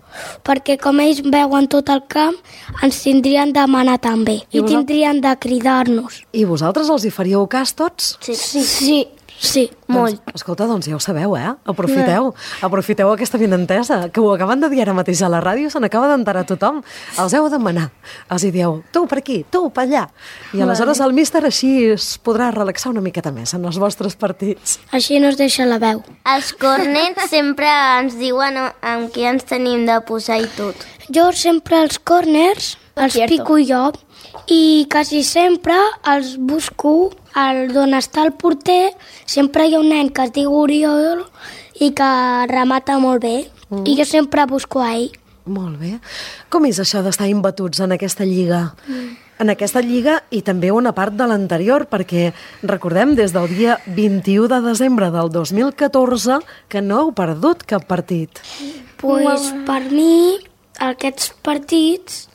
perquè com ells veuen tot el camp, ens tindrien de manar també, I i vosaltres? tindrien de cridar-nos. I vosaltres els hi faríeu cas tots? Sí, Sí, sí, sí. molt. Doncs, escolta, doncs ja ho sabeu, eh? Aprofiteu, aprofiteu aquesta benentesa, que ho acaben de dir ara mateix a la ràdio, se n'acaba d'enterar tothom. Els heu de manar. Els hi dieu, tu per aquí, tu per allà. I aleshores el míster així es podrà relaxar una miqueta més en els vostres partits. Així no es deixa la veu. Els cornets sempre ens diuen amb qui ens tenim de posar i tot. Jo sempre els corners els Cierto. pico jo i quasi sempre els busco al d'on està el porter. Sempre hi ha un nen que es diu Oriol i que remata molt bé. Mm. I jo sempre busco a ell. Molt bé. Com és això d'estar imbatuts en aquesta lliga? Mm. En aquesta lliga i també una part de l'anterior, perquè recordem des del dia vint-i-u de desembre del dos mil catorze que no heu perdut cap partit. Pues per mi aquests partits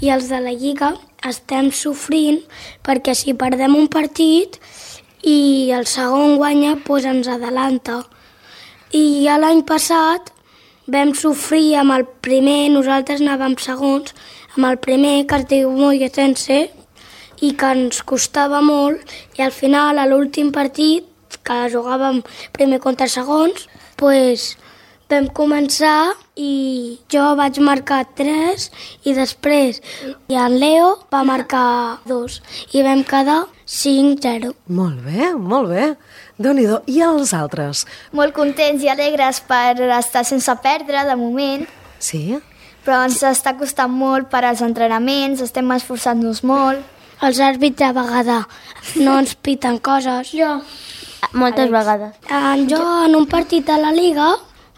i els de la Lliga estem sofrint perquè si perdem un partit i el segon guanya, doncs ens adelanta. I ja l'any passat vam sofrir amb el primer, nosaltres anàvem segons, amb el primer que es diu Molletense i que ens costava molt i al final, a l'últim partit, que jugàvem primer contra segons, doncs vam començar i jo vaig marcar tres i després i en Leo va marcar dos i vam quedar cinc zero. Molt bé, molt bé. Déu-n'hi-do. I els altres? Molt contents i alegres per estar sense perdre, de moment, Sí? però ens està costant molt per als entrenaments, estem esforçant-nos molt. Els àrbits de vegada no ens piten coses. Jo. Moltes vegades. En, jo en un partit de la Liga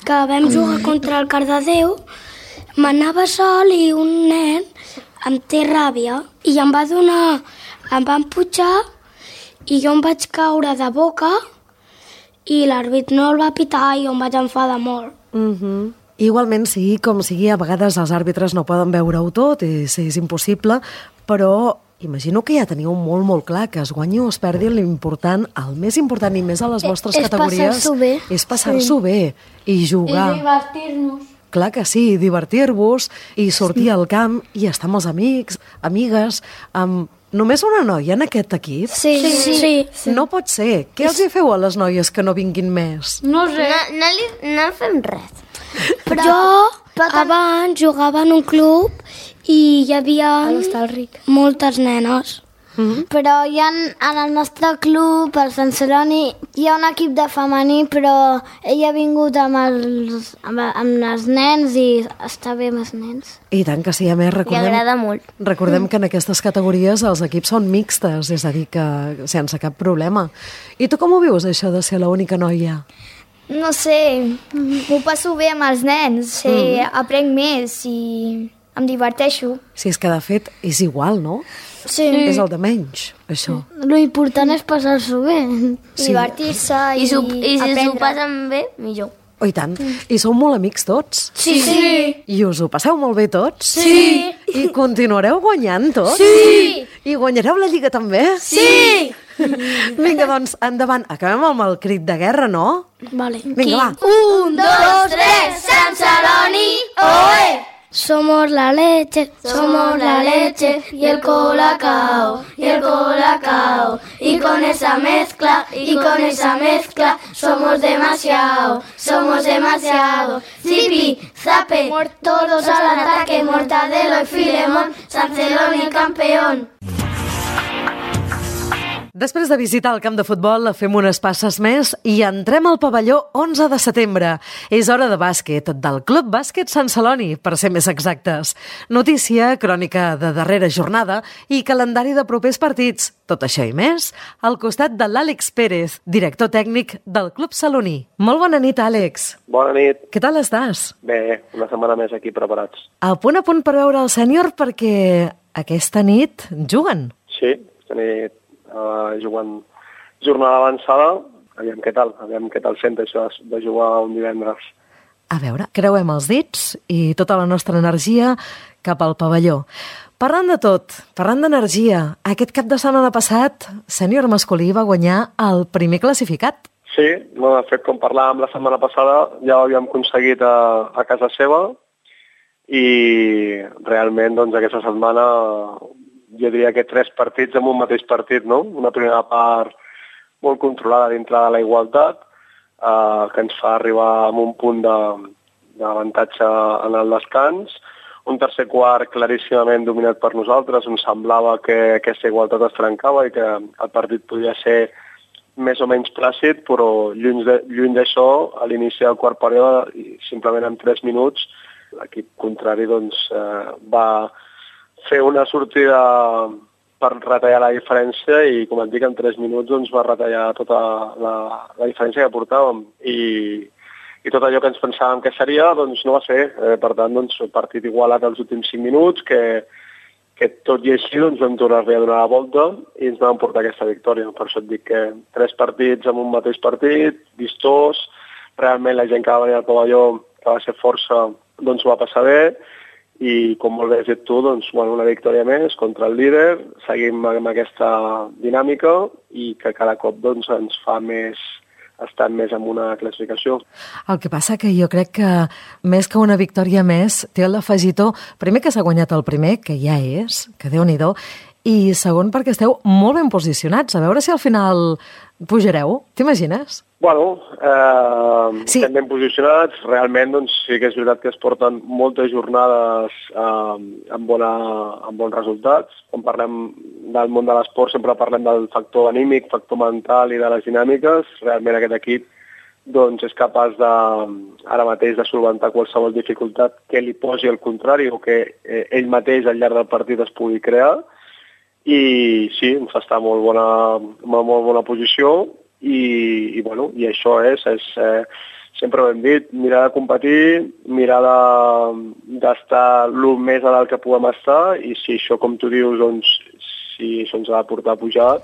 que vam jugar contra el Cardedeu m'anava sol i un nen em té ràbia i em va donar, em va empujar i jo em vaig caure de boca i l'àrbit no el va pitar i jo em vaig enfadar molt. Uh-huh. Igualment, sigui com sigui, a vegades els àrbitres no poden veure-ho tot, és, és impossible, però Imagino que ja teniu molt, molt clar que es guanyi o es perdi l'important, el més important i més a les vostres és categories passar-s'ho bé. és passar-s'ho Sí. bé i jugar. I divertir-nos. Clar que sí, divertir-vos i sortir sí. al camp i estar amb els amics, amigues, amb només una noia en aquest equip? Sí, sí, sí. sí. No pot ser. Què els hi feu a les noies que no vinguin més? No sé. No, no, li, no fem res. Però jo abans jugava en un club i hi havia A l'Hostalric. moltes nenes. Mm-hmm. Però hi ha, en el nostre club, el Sant Celoni, hi ha un equip de femení, però ell ha vingut amb els, amb, amb els nens i està bé amb els nens. I tant que sí, a més, Li recordem, agrada molt. recordem que en aquestes categories els equips són mixtes, és a dir, que sense cap problema. I tu com ho vius, això de ser l'única noia? No sé, m'ho passo bé amb els nens, sí, mm. aprenc més i em diverteixo. Si és que, de fet, és igual, no? Sí. És el de menys, això. Lo important és passar-s'ho bé. Sí. Divertir-se i, I, su, i si aprendre. s'ho passen bé, millor. Oh, i tant. I sou molt amics tots? Sí. sí. I us ho passeu molt bé tots? Sí. I continuareu guanyant tots? Sí. I guanyareu la Lliga també? Sí. Vinga, doncs, endavant. Acabem amb el crit de guerra, no? Vale. Vinga, va. Un, dos, tres, Sant Celoni, oe! Somos la leche, somos la leche y el colacao, y el colacao. Y con esa mezcla, y con esa mezcla, somos demasiado, somos demasiado. Zipi, zape, todos al ataque, Mortadelo y Filemón, San Celoni el campeón. Després de visitar el camp de futbol, fem unes passes més i entrem al pavelló onze de setembre. És hora de bàsquet, del Club Bàsquet Sant Celoni, per ser més exactes. Notícia, crònica de darrera jornada i calendari de propers partits. Tot això i més, al costat de l'Àlex Pérez, director tècnic del Club Celoní. Molt bona nit, Àlex. Bona nit. Què tal estàs? Bé, una setmana més aquí preparats. A punt a punt per veure el sènior perquè aquesta nit juguen. Sí, aquesta nit uh, jugant jornada avançada. Aviam què tal, aviam què tal sent això de jugar un divendres. A veure, creuem els dits i tota la nostra energia cap al pavelló. Parlant de tot, parlant d'energia, aquest cap de setmana passat, sènior masculí va guanyar el primer classificat. Sí, no, de fet, com parlàvem la setmana passada, ja ho havíem aconseguit a, a casa seva i realment doncs, aquesta setmana jo diria que tres partits en un mateix partit, no? Una primera part molt controlada dintre de la igualtat, eh, que ens fa arribar a un punt d'avantatge en el descans, un tercer quart claríssimament dominat per nosaltres, on semblava que aquesta igualtat es trencava i que el partit podia ser més o menys plàcid, però lluny de, lluny d'això, a l'inici del quart període, simplement en tres minuts, l'equip contrari doncs, eh, va fer una sortida per retallar la diferència i, com et dic, en tres minuts doncs, va retallar tota la, la diferència que portàvem. I, i tot allò que ens pensàvem que seria, doncs no va ser. Eh, per tant, doncs, el partit igualat als últims cinc minuts, que, que tot i així doncs, vam tornar-li a donar la volta i ens vam portar aquesta victòria. Per això et dic que tres partits en un mateix partit, vistós, realment la gent que va venir al pavelló, que va ser força, doncs ho va passar bé, i com molt bé has dit tu, doncs, bueno, una victòria més contra el líder, seguim amb aquesta dinàmica i que cada cop doncs, ens fa més estar més en una classificació. El que passa que jo crec que més que una victòria més té l'afegitó, primer que s'ha guanyat el primer, que ja és, que Déu-n'hi-do, i segon perquè esteu molt ben posicionats. A veure si al final pujareu, t'imagines? Bueno, eh, sí. estem ben posicionats. Realment doncs, sí que és veritat que es porten moltes jornades eh, amb, bona, amb bons resultats. Quan parlem del món de l'esport sempre parlem del factor anímic, factor mental i de les dinàmiques. Realment aquest equip doncs, és capaç de, ara mateix de solventar qualsevol dificultat que li posi al contrari o que eh, ell mateix al llarg del partit es pugui crear. I sí, ens fa estar en molt bona, molt, molt bona posició i, i, bueno, i això és, és eh, sempre ho hem dit, mirar de competir, mirar d'estar de, el més a dalt que puguem estar i si això, com tu dius, doncs, si això ens ha de portar a pujar,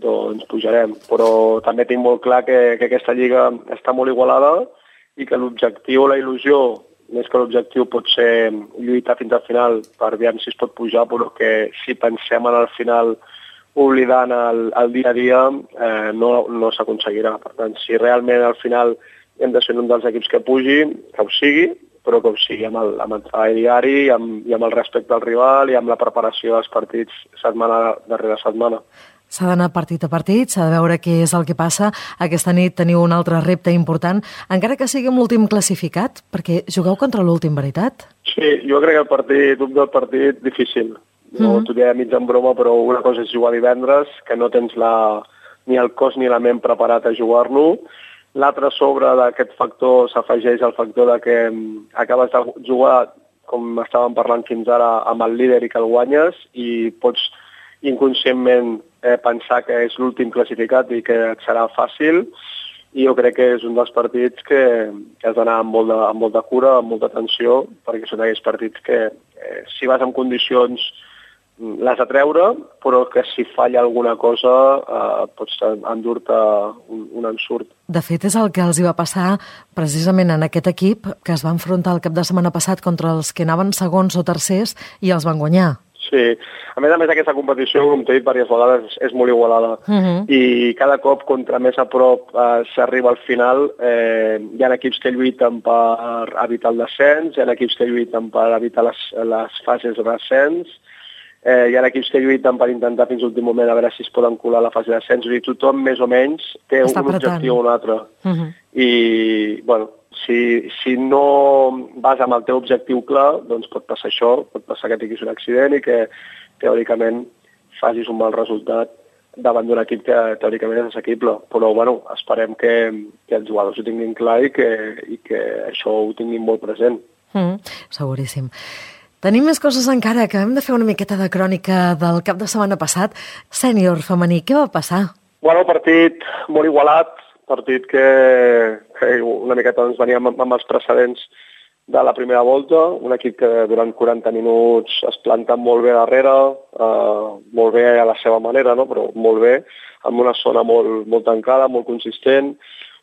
doncs pujarem. Però també tinc molt clar que, que aquesta lliga està molt igualada i que l'objectiu o la il·lusió més que l'objectiu pot ser lluitar fins al final per veure si es pot pujar, però que si pensem en el final oblidant el, el dia a dia, eh, no, no s'aconseguirà. Per tant, si realment al final hem de ser un dels equips que pugi, que ho sigui, però que ho sigui amb el, amb el treball diari i amb, i amb el respecte al rival i amb la preparació dels partits setmana darrere setmana. S'ha d'anar partit a partit, s'ha de veure què és el que passa. Aquesta nit teniu un altre repte important, encara que sigui amb l'últim classificat, perquè jugueu contra l'últim, veritat? Sí, jo crec que el partit, un del partit difícil. No, mm-hmm. T'ho diré mig en broma, però una cosa és jugar divendres, que no tens la, ni el cos ni la ment preparat a jugar-lo. L'altre sobre d'aquest factor s'afegeix el factor de que acabes de jugar, com estàvem parlant fins ara, amb el líder i que el guanyes, i pots inconscientment eh, pensar que és l'últim classificat i que et serà fàcil, i jo crec que és un dels partits que, que has d'anar amb, molt de, amb molta cura, amb molta atenció, perquè són aquells partits que eh, si vas en condicions l'has de treure, però que si falla alguna cosa eh, pots endur-te un, un ensurt. De fet, és el que els hi va passar precisament en aquest equip que es va enfrontar el cap de setmana passat contra els que anaven segons o tercers i els van guanyar. Sí, a més a més aquesta competició, com t'he dit diverses vegades, és molt igualada. Uh-huh. I cada cop, contra més a prop eh, s'arriba al final, eh, hi ha equips que lluiten per evitar el descens, hi ha equips que lluiten per evitar les, les fases de descens, eh, hi ha equips que lluiten per intentar fins a l'últim moment a veure si es poden colar a la fase de descens, i tothom més o menys té Està un apretant. objectiu o un altre. Uh-huh. I, bueno, Si, si no vas amb el teu objectiu clar, doncs pot passar això, pot passar que tinguis un accident i que teòricament facis un mal resultat davant d'un equip que teòricament és assequible. Però bueno, esperem que, que els jugadors ho tinguin clar i que, i que això ho tinguin molt present. Mm, seguríssim. Tenim més coses encara, que hem de fer una miqueta de crònica del cap de setmana passat. Sènior femení, què va passar? Bueno, partit molt igualat, partit que, que una miqueta doncs, veníem amb, amb els precedents de la primera volta, un equip que durant quaranta minuts es planta molt bé darrere, eh, molt bé a la seva manera, no? Però molt bé, amb una zona molt, molt tancada, molt consistent,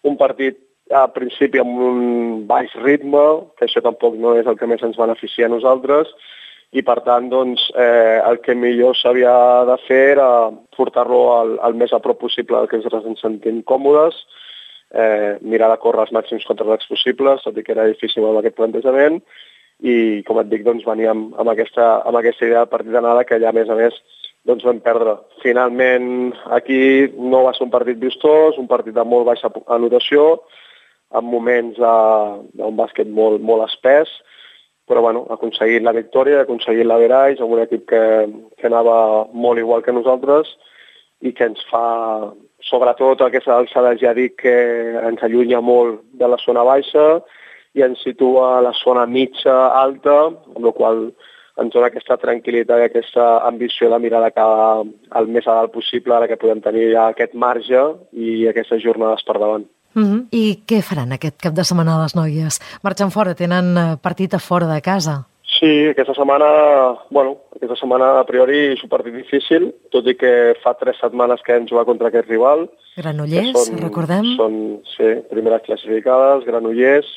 un partit a principi amb un baix ritme, que això tampoc no és el que més ens beneficia a nosaltres, i per tant doncs, eh, el que millor s'havia de fer era portar-lo al, al més a prop possible del que ens sentim còmodes, eh, mirar de córrer els màxims contraatacs possibles, tot i que era difícil amb aquest plantejament, i com et dic, doncs, veníem amb aquesta, amb aquesta idea de partit d'anada que allà a més a més doncs, vam perdre. Finalment aquí no va ser un partit vistós, un partit de molt baixa anotació, amb moments d'un bàsquet molt, molt espès, però bueno, ha aconseguit la victòria, ha aconseguit l'average amb un equip que, que anava molt igual que nosaltres i que ens fa, sobretot aquesta alçada, ja dic que ens allunya molt de la zona baixa i ens situa a la zona mitja alta, amb la qual ens dona aquesta tranquil·litat i aquesta ambició de mirar de cada el més a dalt possible, ara que podem tenir ja aquest marge i aquestes jornades per davant. Mm-hmm. I què faran aquest cap de setmana les noies? Marxen fora, tenen partit a fora de casa. Sí, aquesta setmana, bueno, aquesta setmana a priori és un partit difícil, tot i que fa tres setmanes que hem jugat contra aquest rival. Granollers, són, recordem? Són, sí, primeres classificades, Granollers.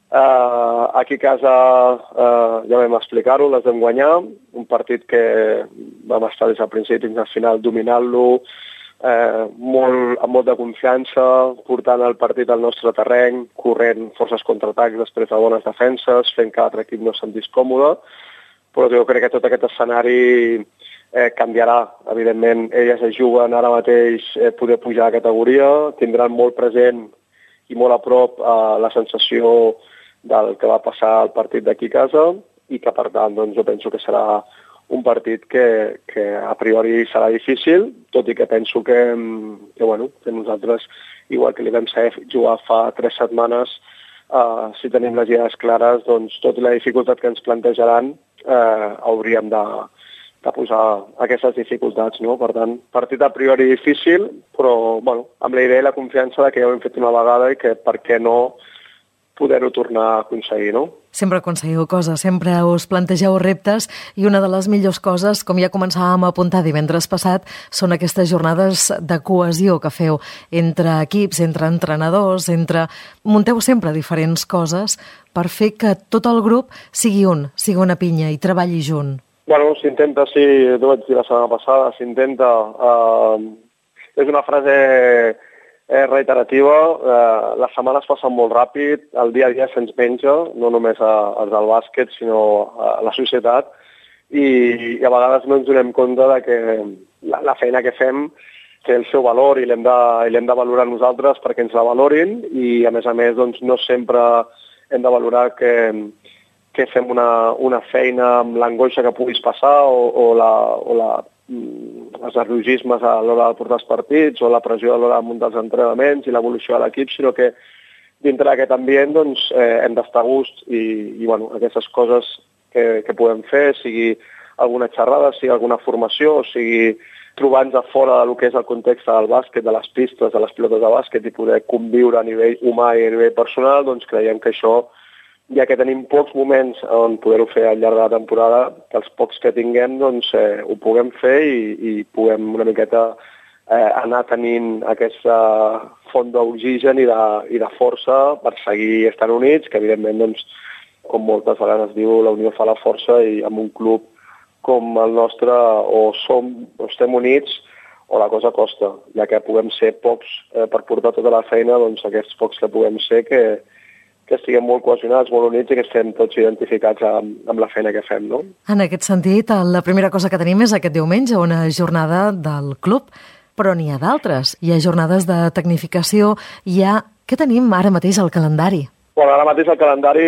Uh, aquí a casa uh, ja vam explicar-ho, les vam guanyar, un partit que vam estar des del principi fins al final dominant-lo, Eh, molt, amb molta confiança, portant el partit al nostre terreny, corrent forces contraatacs després de bones defenses, fent que l'altre equip no es sentís còmode, però jo crec que tot aquest escenari eh, canviarà. Evidentment, elles es juguen ara mateix eh, poder pujar a categoria, tindran molt present i molt a prop eh, la sensació del que va passar al partit d'aquí a casa i que, per tant, doncs, jo penso que serà un partit que, que a priori serà difícil, tot i que penso que, que, bueno, que nosaltres, igual que li vam saber jugar fa tres setmanes, eh, si tenim les idees clares, doncs tot i la dificultat que ens plantejaran, eh, hauríem de, de posar aquestes dificultats, no? Per tant, partit a priori difícil, però bueno, amb la idea i la confiança de que ja ho hem fet una vegada i que per què no poder-ho tornar a aconseguir, no? sempre aconseguiu coses, sempre us plantegeu reptes i una de les millors coses, com ja començàvem a apuntar divendres passat, són aquestes jornades de cohesió que feu entre equips, entre entrenadors, entre... munteu sempre diferents coses per fer que tot el grup sigui un, sigui una pinya i treballi junt. Bueno, s'intenta, sí, t'ho vaig dir la setmana passada, s'intenta... Eh, és una frase eh, reiterativa, eh, les setmanes passen molt ràpid, el dia a dia se'ns menja, no només als del bàsquet, sinó a la societat, i, i a vegades no ens donem compte de que la, la feina que fem té el seu valor i l'hem de, i l'hem de valorar nosaltres perquè ens la valorin, i a més a més doncs, no sempre hem de valorar que... que fem una, una feina amb l'angoixa que puguis passar o, o, la, o la, els nerviosismes a l'hora de portar els partits o la pressió a l'hora de muntar els entrenaments i l'evolució de l'equip, sinó que dintre d'aquest ambient doncs, eh, hem d'estar a gust i, i bueno, aquestes coses que, que podem fer, sigui alguna xerrada, sigui alguna formació, sigui trobar-nos a fora del que és el context del bàsquet, de les pistes, de les pilotes de bàsquet i poder conviure a nivell humà i a nivell personal, doncs creiem que això, ja que tenim pocs moments on poder-ho fer al llarg de la temporada, que els pocs que tinguem doncs, eh, ho puguem fer i, i puguem una miqueta eh, anar tenint aquesta font d'oxigen i, de, i de força per seguir estant units, que evidentment, doncs, com moltes vegades es diu, la unió fa la força i amb un club com el nostre o som o estem units o la cosa costa, ja que puguem ser pocs eh, per portar tota la feina, doncs aquests pocs que puguem ser que que estiguem molt cohesionats, molt units i que estem tots identificats amb, amb la feina que fem, no? En aquest sentit, la primera cosa que tenim és aquest diumenge, una jornada del club, però n'hi ha d'altres. Hi ha jornades de tecnificació, hi ha... Què tenim ara mateix al calendari? Bueno, ara mateix al calendari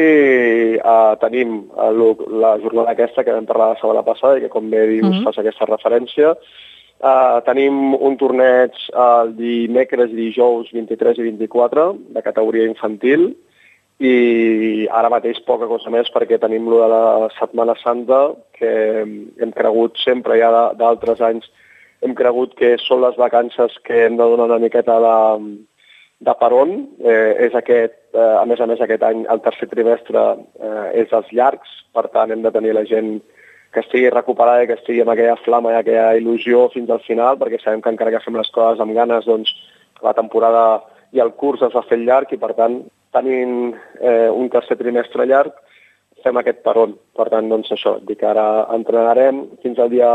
eh, tenim el, la jornada aquesta que vam parlar la setmana passada i que, com bé dius, mm-hmm. fas aquesta referència. Uh, tenim un torneig el dimecres i dijous vint-i-tres i vint-i-quatre de categoria infantil, i ara mateix poca cosa més perquè tenim lo de la Setmana Santa, que hem cregut sempre ja d'altres anys, hem cregut que són les vacances que hem de donar una miqueta de, de peron. Eh, és aquest, eh, a més a més aquest any, el tercer trimestre eh, és dels llargs, per tant hem de tenir la gent que estigui recuperada i que estigui amb aquella flama i aquella il·lusió fins al final, perquè sabem que encara que fem les coses amb ganes, doncs la temporada i el curs es va fer llarg i per tant tenint eh, un tercer trimestre llarg, fem aquest peron. Per tant, doncs això, dic que ara entrenarem fins al dia,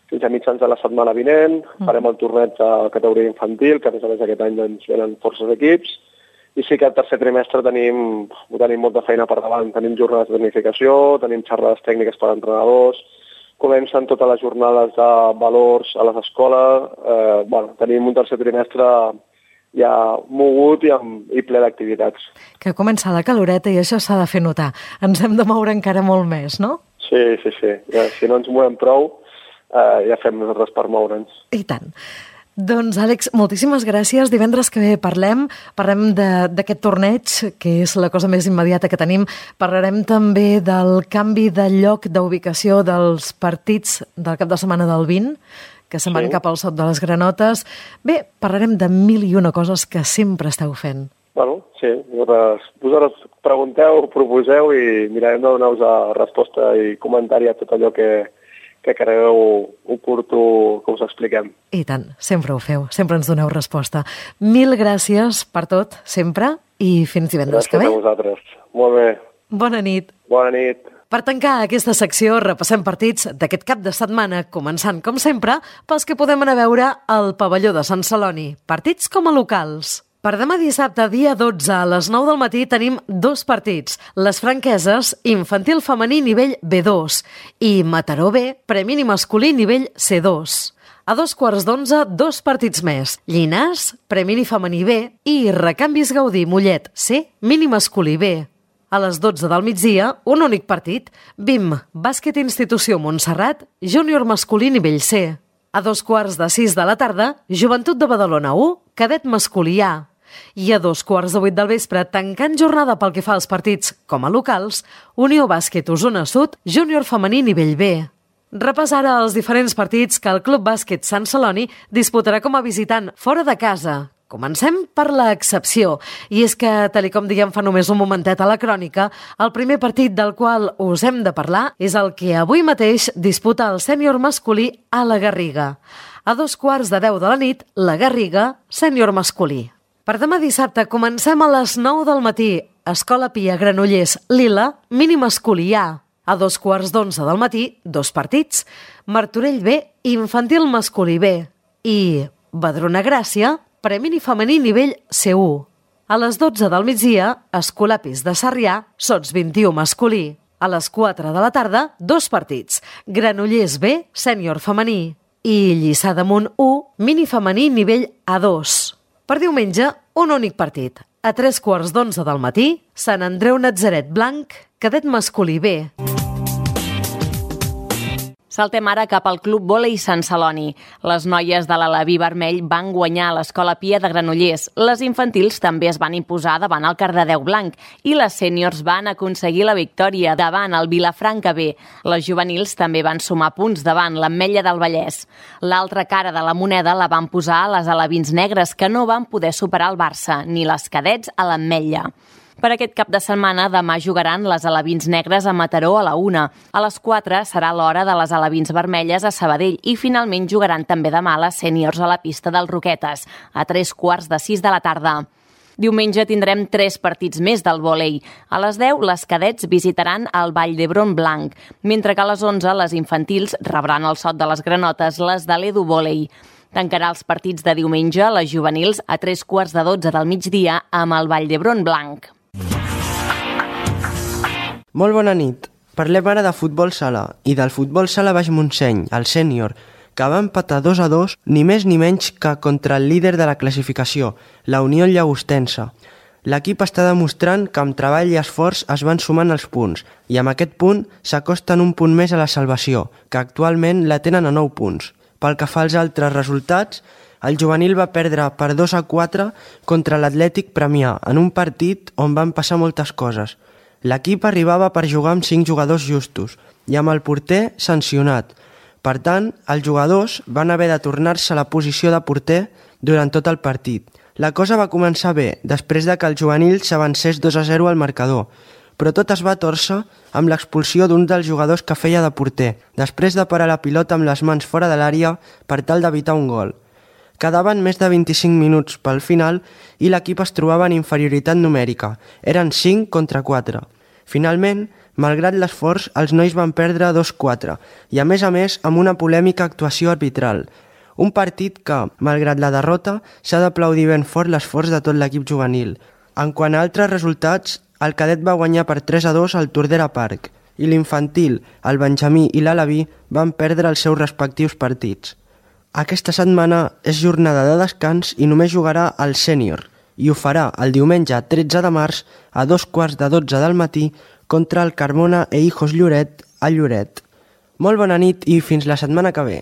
fins a mitjans de la setmana vinent, mm. farem el torneig de categoria infantil, que a més a més aquest any doncs, venen forces equips, i sí que el tercer trimestre tenim, tenim molta feina per davant. Tenim jornades de tecnificació, tenim xerrades tècniques per entrenadors, comencen totes les jornades de valors a les escoles, eh, bueno, tenim un tercer trimestre ja mogut i, amb, i ple d'activitats. Que comença la caloreta i això s'ha de fer notar. Ens hem de moure encara molt més, no? Sí, sí, sí. Ja, si no ens movem prou, eh, ja fem nosaltres per moure'ns. I tant. Doncs, Àlex, moltíssimes gràcies. Divendres que ve parlem, parlem d'aquest torneig, que és la cosa més immediata que tenim. Parlarem també del canvi de lloc d'ubicació dels partits del cap de setmana del vint, que se'n van sí. cap al Sot de les Granotes. Bé, parlarem de mil i una coses que sempre esteu fent. Bueno, sí, vosaltres pregunteu, proposeu i mirarem de donar-vos resposta i comentari a tot allò que, que cregueu oportú que us expliquem. I tant, sempre ho feu, sempre ens doneu resposta. Mil gràcies per tot, sempre, i fins divendres que ve. Gràcies a vosaltres. Molt bé. Bona nit. Bona nit. Per tancar aquesta secció, repassem partits d'aquest cap de setmana, començant, com sempre, pels que podem anar a veure al pavelló de Sant Celoni. Partits com a locals. Per demà dissabte, dia dotze, a les nou del matí, tenim dos partits. Les Franqueses, infantil femení nivell B dos, i Mataró B, premini masculí nivell C dos. A dos quarts d'onze, dos partits més. Llinars, premini femení B, i Recanvis Gaudí Mollet C, mini masculí B. A les dotze del migdia, un únic partit, B I M, bàsquet institució Montserrat, júnior masculí nivell C. A dos quarts de sis de la tarda, Joventut de Badalona u, cadet masculí A. I a dos quarts de vuit del vespre, tancant jornada pel que fa als partits com a locals, Unió Bàsquet Osona Sud, júnior femení nivell B. Repàs ara els diferents partits que el Club Bàsquet Sant Celoni disputarà com a visitant fora de casa. Comencem per l'excepció, i és que, tal com diguem fa només un momentet a la crònica, el primer partit del qual us hem de parlar és el que avui mateix disputa el sènior masculí a la Garriga. A dos quarts de deu de la nit, la Garriga, sènior masculí. Per demà dissabte comencem a les nou del matí. Escola Pia Granollers, Lila, mini masculí A. A dos quarts d'onze del matí, dos partits. Martorell B, infantil masculí B. I Badrona Gràcia, premini femení nivell C u. A les dotze del migdia, Escolapis de Sarrià, sots vint i u masculí. A les quatre de la tarda, dos partits. Granollers B, sènior femení. I Lliçà d'Amunt u, mini femení nivell A dos. Per diumenge, un únic partit. A tres quarts d'onze del matí, Sant Andreu Natzaret Blanc, cadet masculí B. Saltem ara cap al Club Vòlei Sant Celoni. Les noies de l'Alaví Vermell van guanyar a l'Escola Pia de Granollers. Les infantils també es van imposar davant el Cardedeu Blanc i les sèniors van aconseguir la victòria davant el Vilafranca B. Les juvenils també van sumar punts davant l'Ametlla del Vallès. L'altra cara de la moneda la van posar a les alevins negres, que no van poder superar el Barça, ni les cadets a l'Ametlla. Per aquest cap de setmana, demà jugaran les alevins negres a Mataró a la una. A les quatre serà l'hora de les alevins vermelles a Sabadell i finalment jugaran també demà les sèniors a la pista dels Roquetes, a tres quarts de sis de la tarda. Diumenge tindrem tres partits més del vòlei. A les deu, les cadets visitaran el Vall d'Hebron Blanc, mentre que a les onze, les infantils rebran el sot de les granotes, les de l'Edu Vòlei. Tancarà els partits de diumenge, les juvenils, a tres quarts de dotze del migdia amb el Vall d'Hebron Blanc. Molt bona nit. Parlem ara de futbol sala i del futbol sala Baix Montseny, el sènior, que va empatar dos a dos, ni més ni menys que contra el líder de la classificació, la Unió Llagostense. L'equip està demostrant que amb treball i esforç es van sumant els punts i amb aquest punt s'acosten un punt més a la salvació, que actualment la tenen a nou punts. Pel que fa als altres resultats, el juvenil va perdre per dos a quatre contra l'Atlètic Premià en un partit on van passar moltes coses. L'equip arribava per jugar amb cinc jugadors justos i amb el porter sancionat. Per tant, els jugadors van haver de tornar-se a la posició de porter durant tot el partit. La cosa va començar bé, després de que el juvenil s'avancés dos a zero al marcador, però tot es va tòrcer amb l'expulsió d'un dels jugadors que feia de porter, després de parar la pilota amb les mans fora de l'àrea per tal d'evitar un gol. Quedaven més de vint-i-cinc minuts pel final i l'equip es trobava en inferioritat numèrica. Eren cinc contra quatre. Finalment, malgrat l'esforç, els nois van perdre dos a quatre i, a més a més, amb una polèmica actuació arbitral. Un partit que, malgrat la derrota, s'ha d'aplaudir ben fort l'esforç de tot l'equip juvenil. En quant a altres resultats, el cadet va guanyar per tres a dos al Tordera Park i l'infantil, el Benjamí i l'Alaví van perdre els seus respectius partits. Aquesta setmana és jornada de descans i només jugarà el sènior i ho farà el diumenge tretze de març a dos quarts de dotze del matí contra el Carmona e Hijos Lloret a Lloret. Molt bona nit i fins la setmana que ve.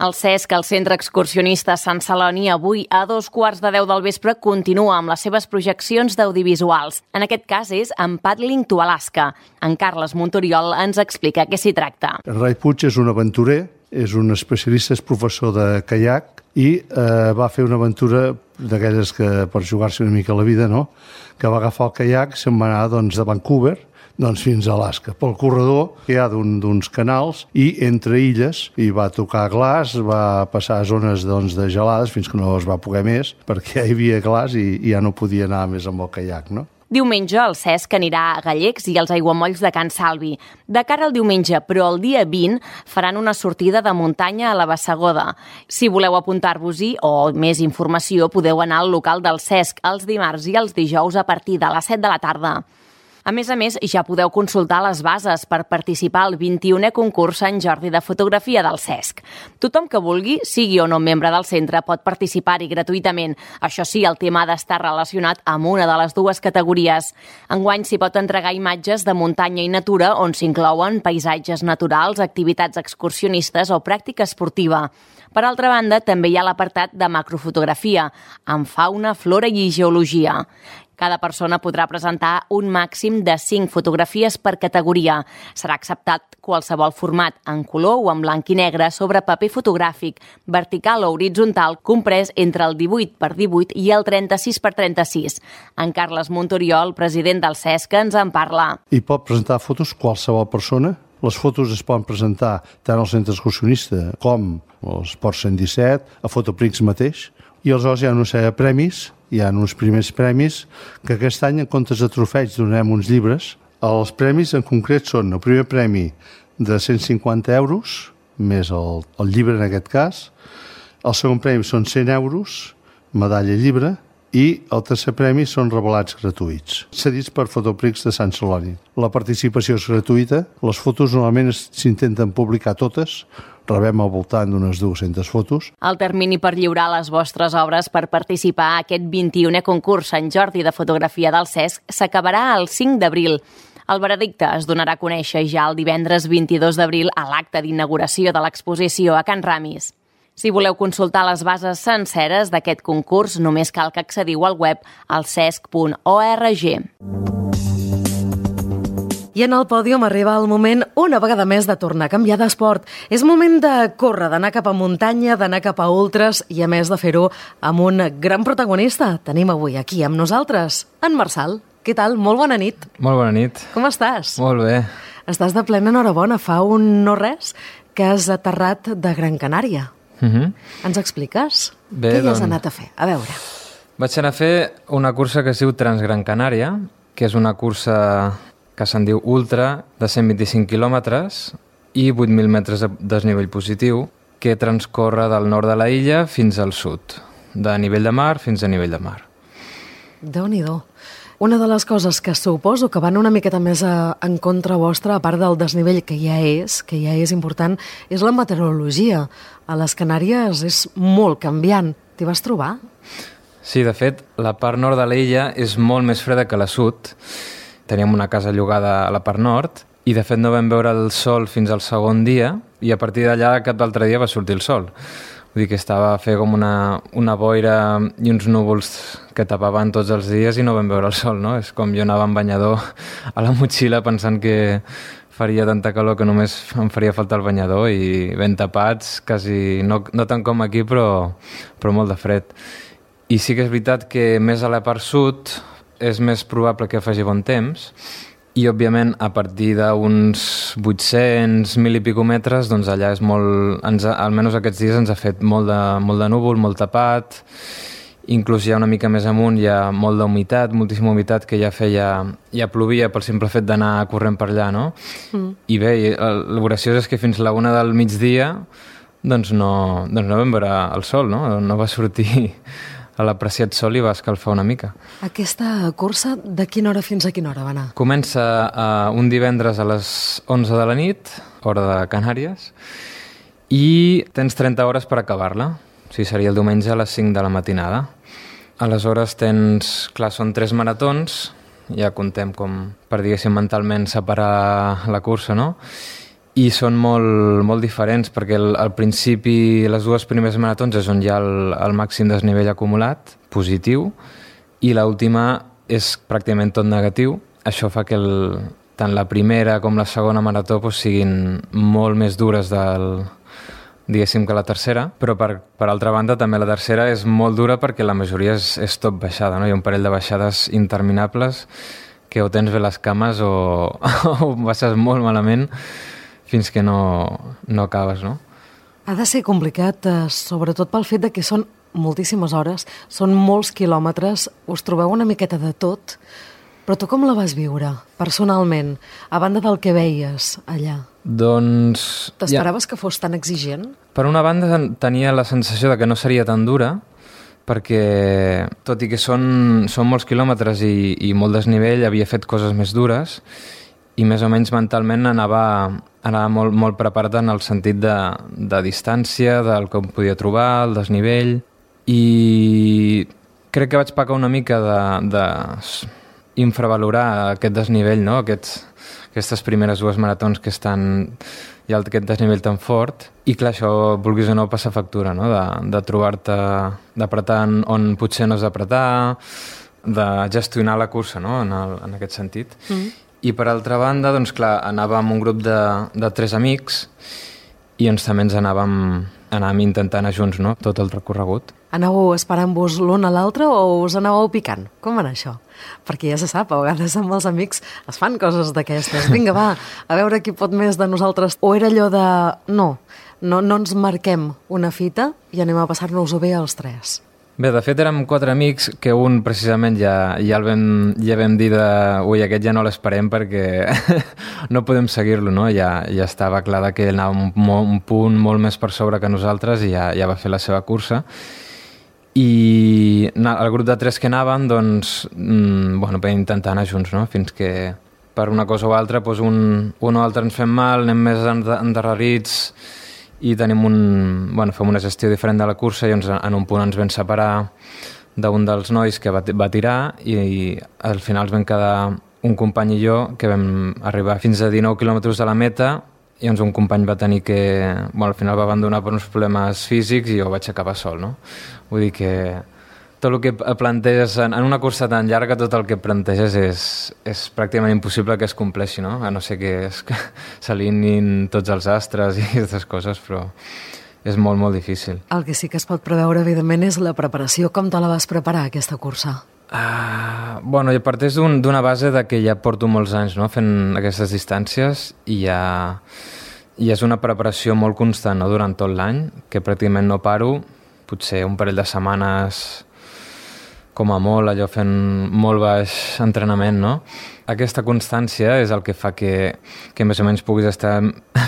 El Cesc, el Centre Excursionista Sant Celoni, avui a dos quarts de deu del vespre continua amb les seves projeccions d'audiovisuals. En aquest cas és en Paddling to Alaska. En Carles Montoriol ens explica què s'hi tracta. En Rai Puig és un aventurer, és un especialista, és professor de caiac i eh, va fer una aventura d'aquelles que per jugar-se una mica la vida, no? Que va agafar el caiac, se'n va anar doncs, de Vancouver doncs fins a Alaska, pel corredor que hi ha d'un, d'uns canals i entre illes, i va tocar glaç, va passar a zones doncs, de gelades fins que no es va poder més, perquè hi havia glaç i, i ja no podia anar més amb el caiac, no? Diumenge el Cesc anirà a Gallecs i als aiguamolls de Can Salvi. De cara al diumenge, però el dia vint, faran una sortida de muntanya a la Bassegoda. Si voleu apuntar-vos-hi o més informació, podeu anar al local del Cesc els dimarts i els dijous a partir de les set de la tarda. A més a més, ja podeu consultar les bases per participar al vint-i-unè concurs Sant Jordi de fotografia del Cesc. Tothom que vulgui, sigui o no membre del centre, pot participar-hi gratuïtament. Això sí, el tema ha d'estar relacionat amb una de les dues categories. Enguany s'hi pot entregar imatges de muntanya i natura on s'inclouen paisatges naturals, activitats excursionistes o pràctica esportiva. Per altra banda, també hi ha l'apartat de macrofotografia, amb fauna, flora i geologia. Cada persona podrà presentar un màxim de cinc fotografies per categoria. Serà acceptat qualsevol format en color o en blanc i negre sobre paper fotogràfic, vertical o horitzontal, comprès entre el divuit per divuit i el trenta-sis per trenta-sis. En Carles Montoriol, president del Cesca, ens en parla. I pot presentar fotos qualsevol persona. Les fotos es poden presentar tant al centre excursionista com als Ports cent disset, a Fotoprix mateix. I aleshores hi ha una sèrie de premis, hi ha uns primers premis, que aquest any, en comptes de trofeig, donem uns llibres. Els premis en concret són el primer premi de cent cinquanta euros, més el, el llibre en aquest cas. El segon premi són cent euros, medalla i llibre, i el tercer premi són revelats gratuïts, cedits per Fotoprix de Sant Celoni. La participació és gratuïta, les fotos normalment s'intenten publicar totes, rebem al voltant d'unes dues-centes fotos. El termini per lliurar les vostres obres per participar a aquest vint-i-unè concurs Sant Jordi de fotografia del Cesc s'acabarà el cinc d'abril. El veredicte es donarà a conèixer ja el divendres vint-i-dos d'abril a l'acte d'inauguració de l'exposició a Can Ramis. Si voleu consultar les bases senceres d'aquest concurs, només cal que accediu al web al cesc punt org. I en el pòdium arriba el moment, una vegada més, de tornar a canviar d'esport. És moment de córrer, d'anar cap a muntanya, d'anar cap a ultres i, a més, de fer-ho amb un gran protagonista. Tenim avui aquí amb nosaltres en Marçal. Què tal? Molt bona nit. Molt bona nit. Com estàs? Molt bé. Estàs de plena enhorabona. Fa un no res que has aterrat de Gran Canària. Uh-huh. Ens expliques? Bé, Què hi has doncs... anat a fer? A veure. Vaig anar a fer una cursa que es diu Transgran Canària, que és una cursa que se'n diu Ultra, de cent vint-i-cinc quilòmetres i vuit mil metres de desnivell positiu, que transcorre del nord de la illa fins al sud, de nivell de mar fins a nivell de mar. Déu-n'hi-do. Una de les coses que suposo que van una miqueta més a, en contra vostra, a part del desnivell que ja és, que ja és important, és la meteorologia. A les Canàries és molt canviant. T'hi vas trobar? Sí, de fet, la part nord de l'illa és molt més freda que la sud. Teníem una casa llogada a la part nord i, de fet, no vam veure el sol fins al segon dia i a partir d'allà cap altre dia va sortir el sol. Vull dir que estava a fer com una, una boira i uns núvols que tapaven tots els dies i no vam veure el sol, no? És com jo anava amb banyador a la motxilla pensant que faria tanta calor que només em faria falta el banyador i ben tapats, quasi, no, no tant com aquí, però, però molt de fred. I sí que és veritat que més a la part sud és més probable que faci bon temps i, òbviament, a partir d'uns vuit-cents, mil i pico metres, doncs allà és molt... Ens ha, almenys aquests dies ens ha fet molt de, molt de núvol, molt tapat, inclús ja una mica més amunt hi ha molt d'humitat, moltíssima humitat que ja feia... ja plovia pel simple fet d'anar corrent per allà, no? Mm. I bé, el graciós és que fins la una del migdia doncs no, doncs no vam veure el sol, no? No va sortir a l'apreciat sol i va escalfar una mica. Aquesta cursa de quina hora fins a quina hora va anar? Comença uh, un divendres a les onze de la nit, hora de Canàries, i tens trenta hores per acabar-la. O sigui, seria el diumenge a les cinc de la matinada. Aleshores tens... Clar, són tres maratons, ja contem com per, diguéssim, mentalment separar la cursa, no? I són molt, molt diferents perquè el, al principi les dues primeres maratons és on hi ha el, el màxim desnivell acumulat, positiu, i l'última és pràcticament tot negatiu. Això fa que el, tant la primera com la segona marató doncs, siguin molt més dures del, diguéssim que la tercera, però per, per altra banda també la tercera és molt dura perquè la majoria és, és tot baixada, no? Hi ha un parell de baixades interminables que o tens bé les cames o, o baixes molt malament fins que no, no acabes, no? Ha de ser complicat, eh, sobretot pel fet de que són moltíssimes hores, són molts quilòmetres, us trobeu una miqueta de tot, però tu com la vas viure, personalment, a banda del que veies allà? Doncs... T'esperaves ja... que fos tan exigent? Per una banda tenia la sensació de que no seria tan dura, perquè tot i que són, són molts quilòmetres i, i molt desnivell, havia fet coses més dures, i més o menys mentalment anava, anava molt, molt preparat en el sentit de, de distància, del que em podia trobar, el desnivell, i crec que vaig pecar una mica de, de infravalorar aquest desnivell, no? Aquests, aquestes primeres dues maratons que estan hi ha aquest desnivell tan fort, i clar, això, vulguis o no, passa factura, no? De, de trobar-te, d'apretar on potser no has d'apretar, de gestionar la cursa, no? en, el, en aquest sentit. Mm. I per altra banda, doncs clar, anàvem un grup de, de tres amics i ens també ens anàvem, anàvem intentant anar junts, no? Tot el recorregut. Anàveu esperant-vos l'un a l'altre o us anàveu picant? Com va anar això? Perquè ja se sap, a vegades amb els amics es fan coses d'aquestes. Vinga, va, a veure qui pot més de nosaltres. O era allò de, no, no, no ens marquem una fita i anem a passar-nos-ho bé els tres. Bé, de fet érem quatre amics que un precisament ja, ja el vam, ja vam dir de ui, aquest ja no l'esperem perquè no podem seguir-lo, no? Ja, ja estava clar que ell anava un, un punt molt més per sobre que nosaltres i ja, ja va fer la seva cursa. I el grup de tres que anàvem, doncs, mmm, bueno, vam intentar anar junts, no? Fins que per una cosa o altra doncs un, un o altre ens fem mal, anem més endarrerits i tenim un, bueno, fem una gestió diferent de la cursa i ens, en un punt ens vam separar d'un dels nois que va, va tirar i, i al final ens vam quedar un company i jo que vam arribar fins a dinou quilòmetres de la meta i doncs un company va tenir que, bueno, al final va abandonar per uns problemes físics i jo vaig acabar sol, no? Vull dir que tot el que planteges en, en una cursa tan llarga, tot el que planteges és, és pràcticament impossible que es compleixi, no? A no ser que es, s'alineïn tots els astres i aquestes coses, però és molt, molt difícil. El que sí que es pot preveure, evidentment, és la preparació. Com te la vas preparar, aquesta cursa? Uh, bueno, jo parteix d'un, d'una base de que ja porto molts anys, no?, fent aquestes distàncies i ja, i és una preparació molt constant, no?, durant tot l'any, que pràcticament no paro, potser un parell de setmanes com a molt, allò fent molt baix entrenament, no? Aquesta constància és el que fa que, que més o menys puguis estar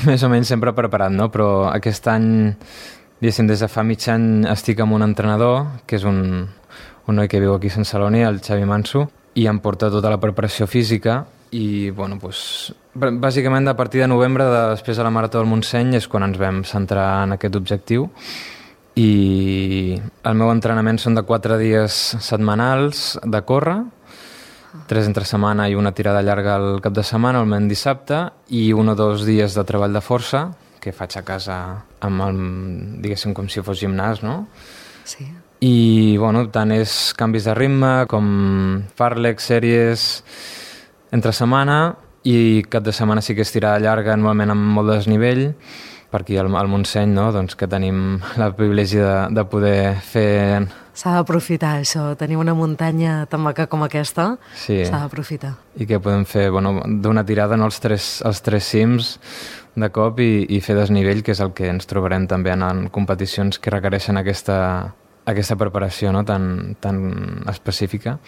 més o menys sempre preparat, no? Però aquest any, diguéssim, des de fa mig any estic amb un entrenador, que és un, un noi que viu aquí a Sant Celoni, el Xavi Manso, i em porta tota la preparació física i, bueno, doncs, bàsicament a partir de novembre, de, després de la Marató del Montseny, és quan ens vam centrar en aquest objectiu. I el meu entrenament són de quatre dies setmanals de córrer, tres entre setmana i una tirada llarga al cap de setmana, almenys dissabte, i un o dos dies de treball de força, que faig a casa amb el, diguéssim, com si fos gimnàs, no? Sí. I, bueno, tant és canvis de ritme com fàrlecs, sèries entre setmana, i cap de setmana sí que és tirada llarga, normalment amb molt desnivell, per aquí al, al Montseny, no? Doncs que tenim el privilegi de, de poder fer... S'ha d'aprofitar això, tenir una muntanya tan maca com aquesta, sí. S'ha d'aprofitar. I que podem fer, bueno, d'una tirada, no, els tres, els tres cims de cop i, i fer desnivell, que és el que ens trobarem també en, en competicions que requereixen aquesta, aquesta preparació, no?, tan, tan específica.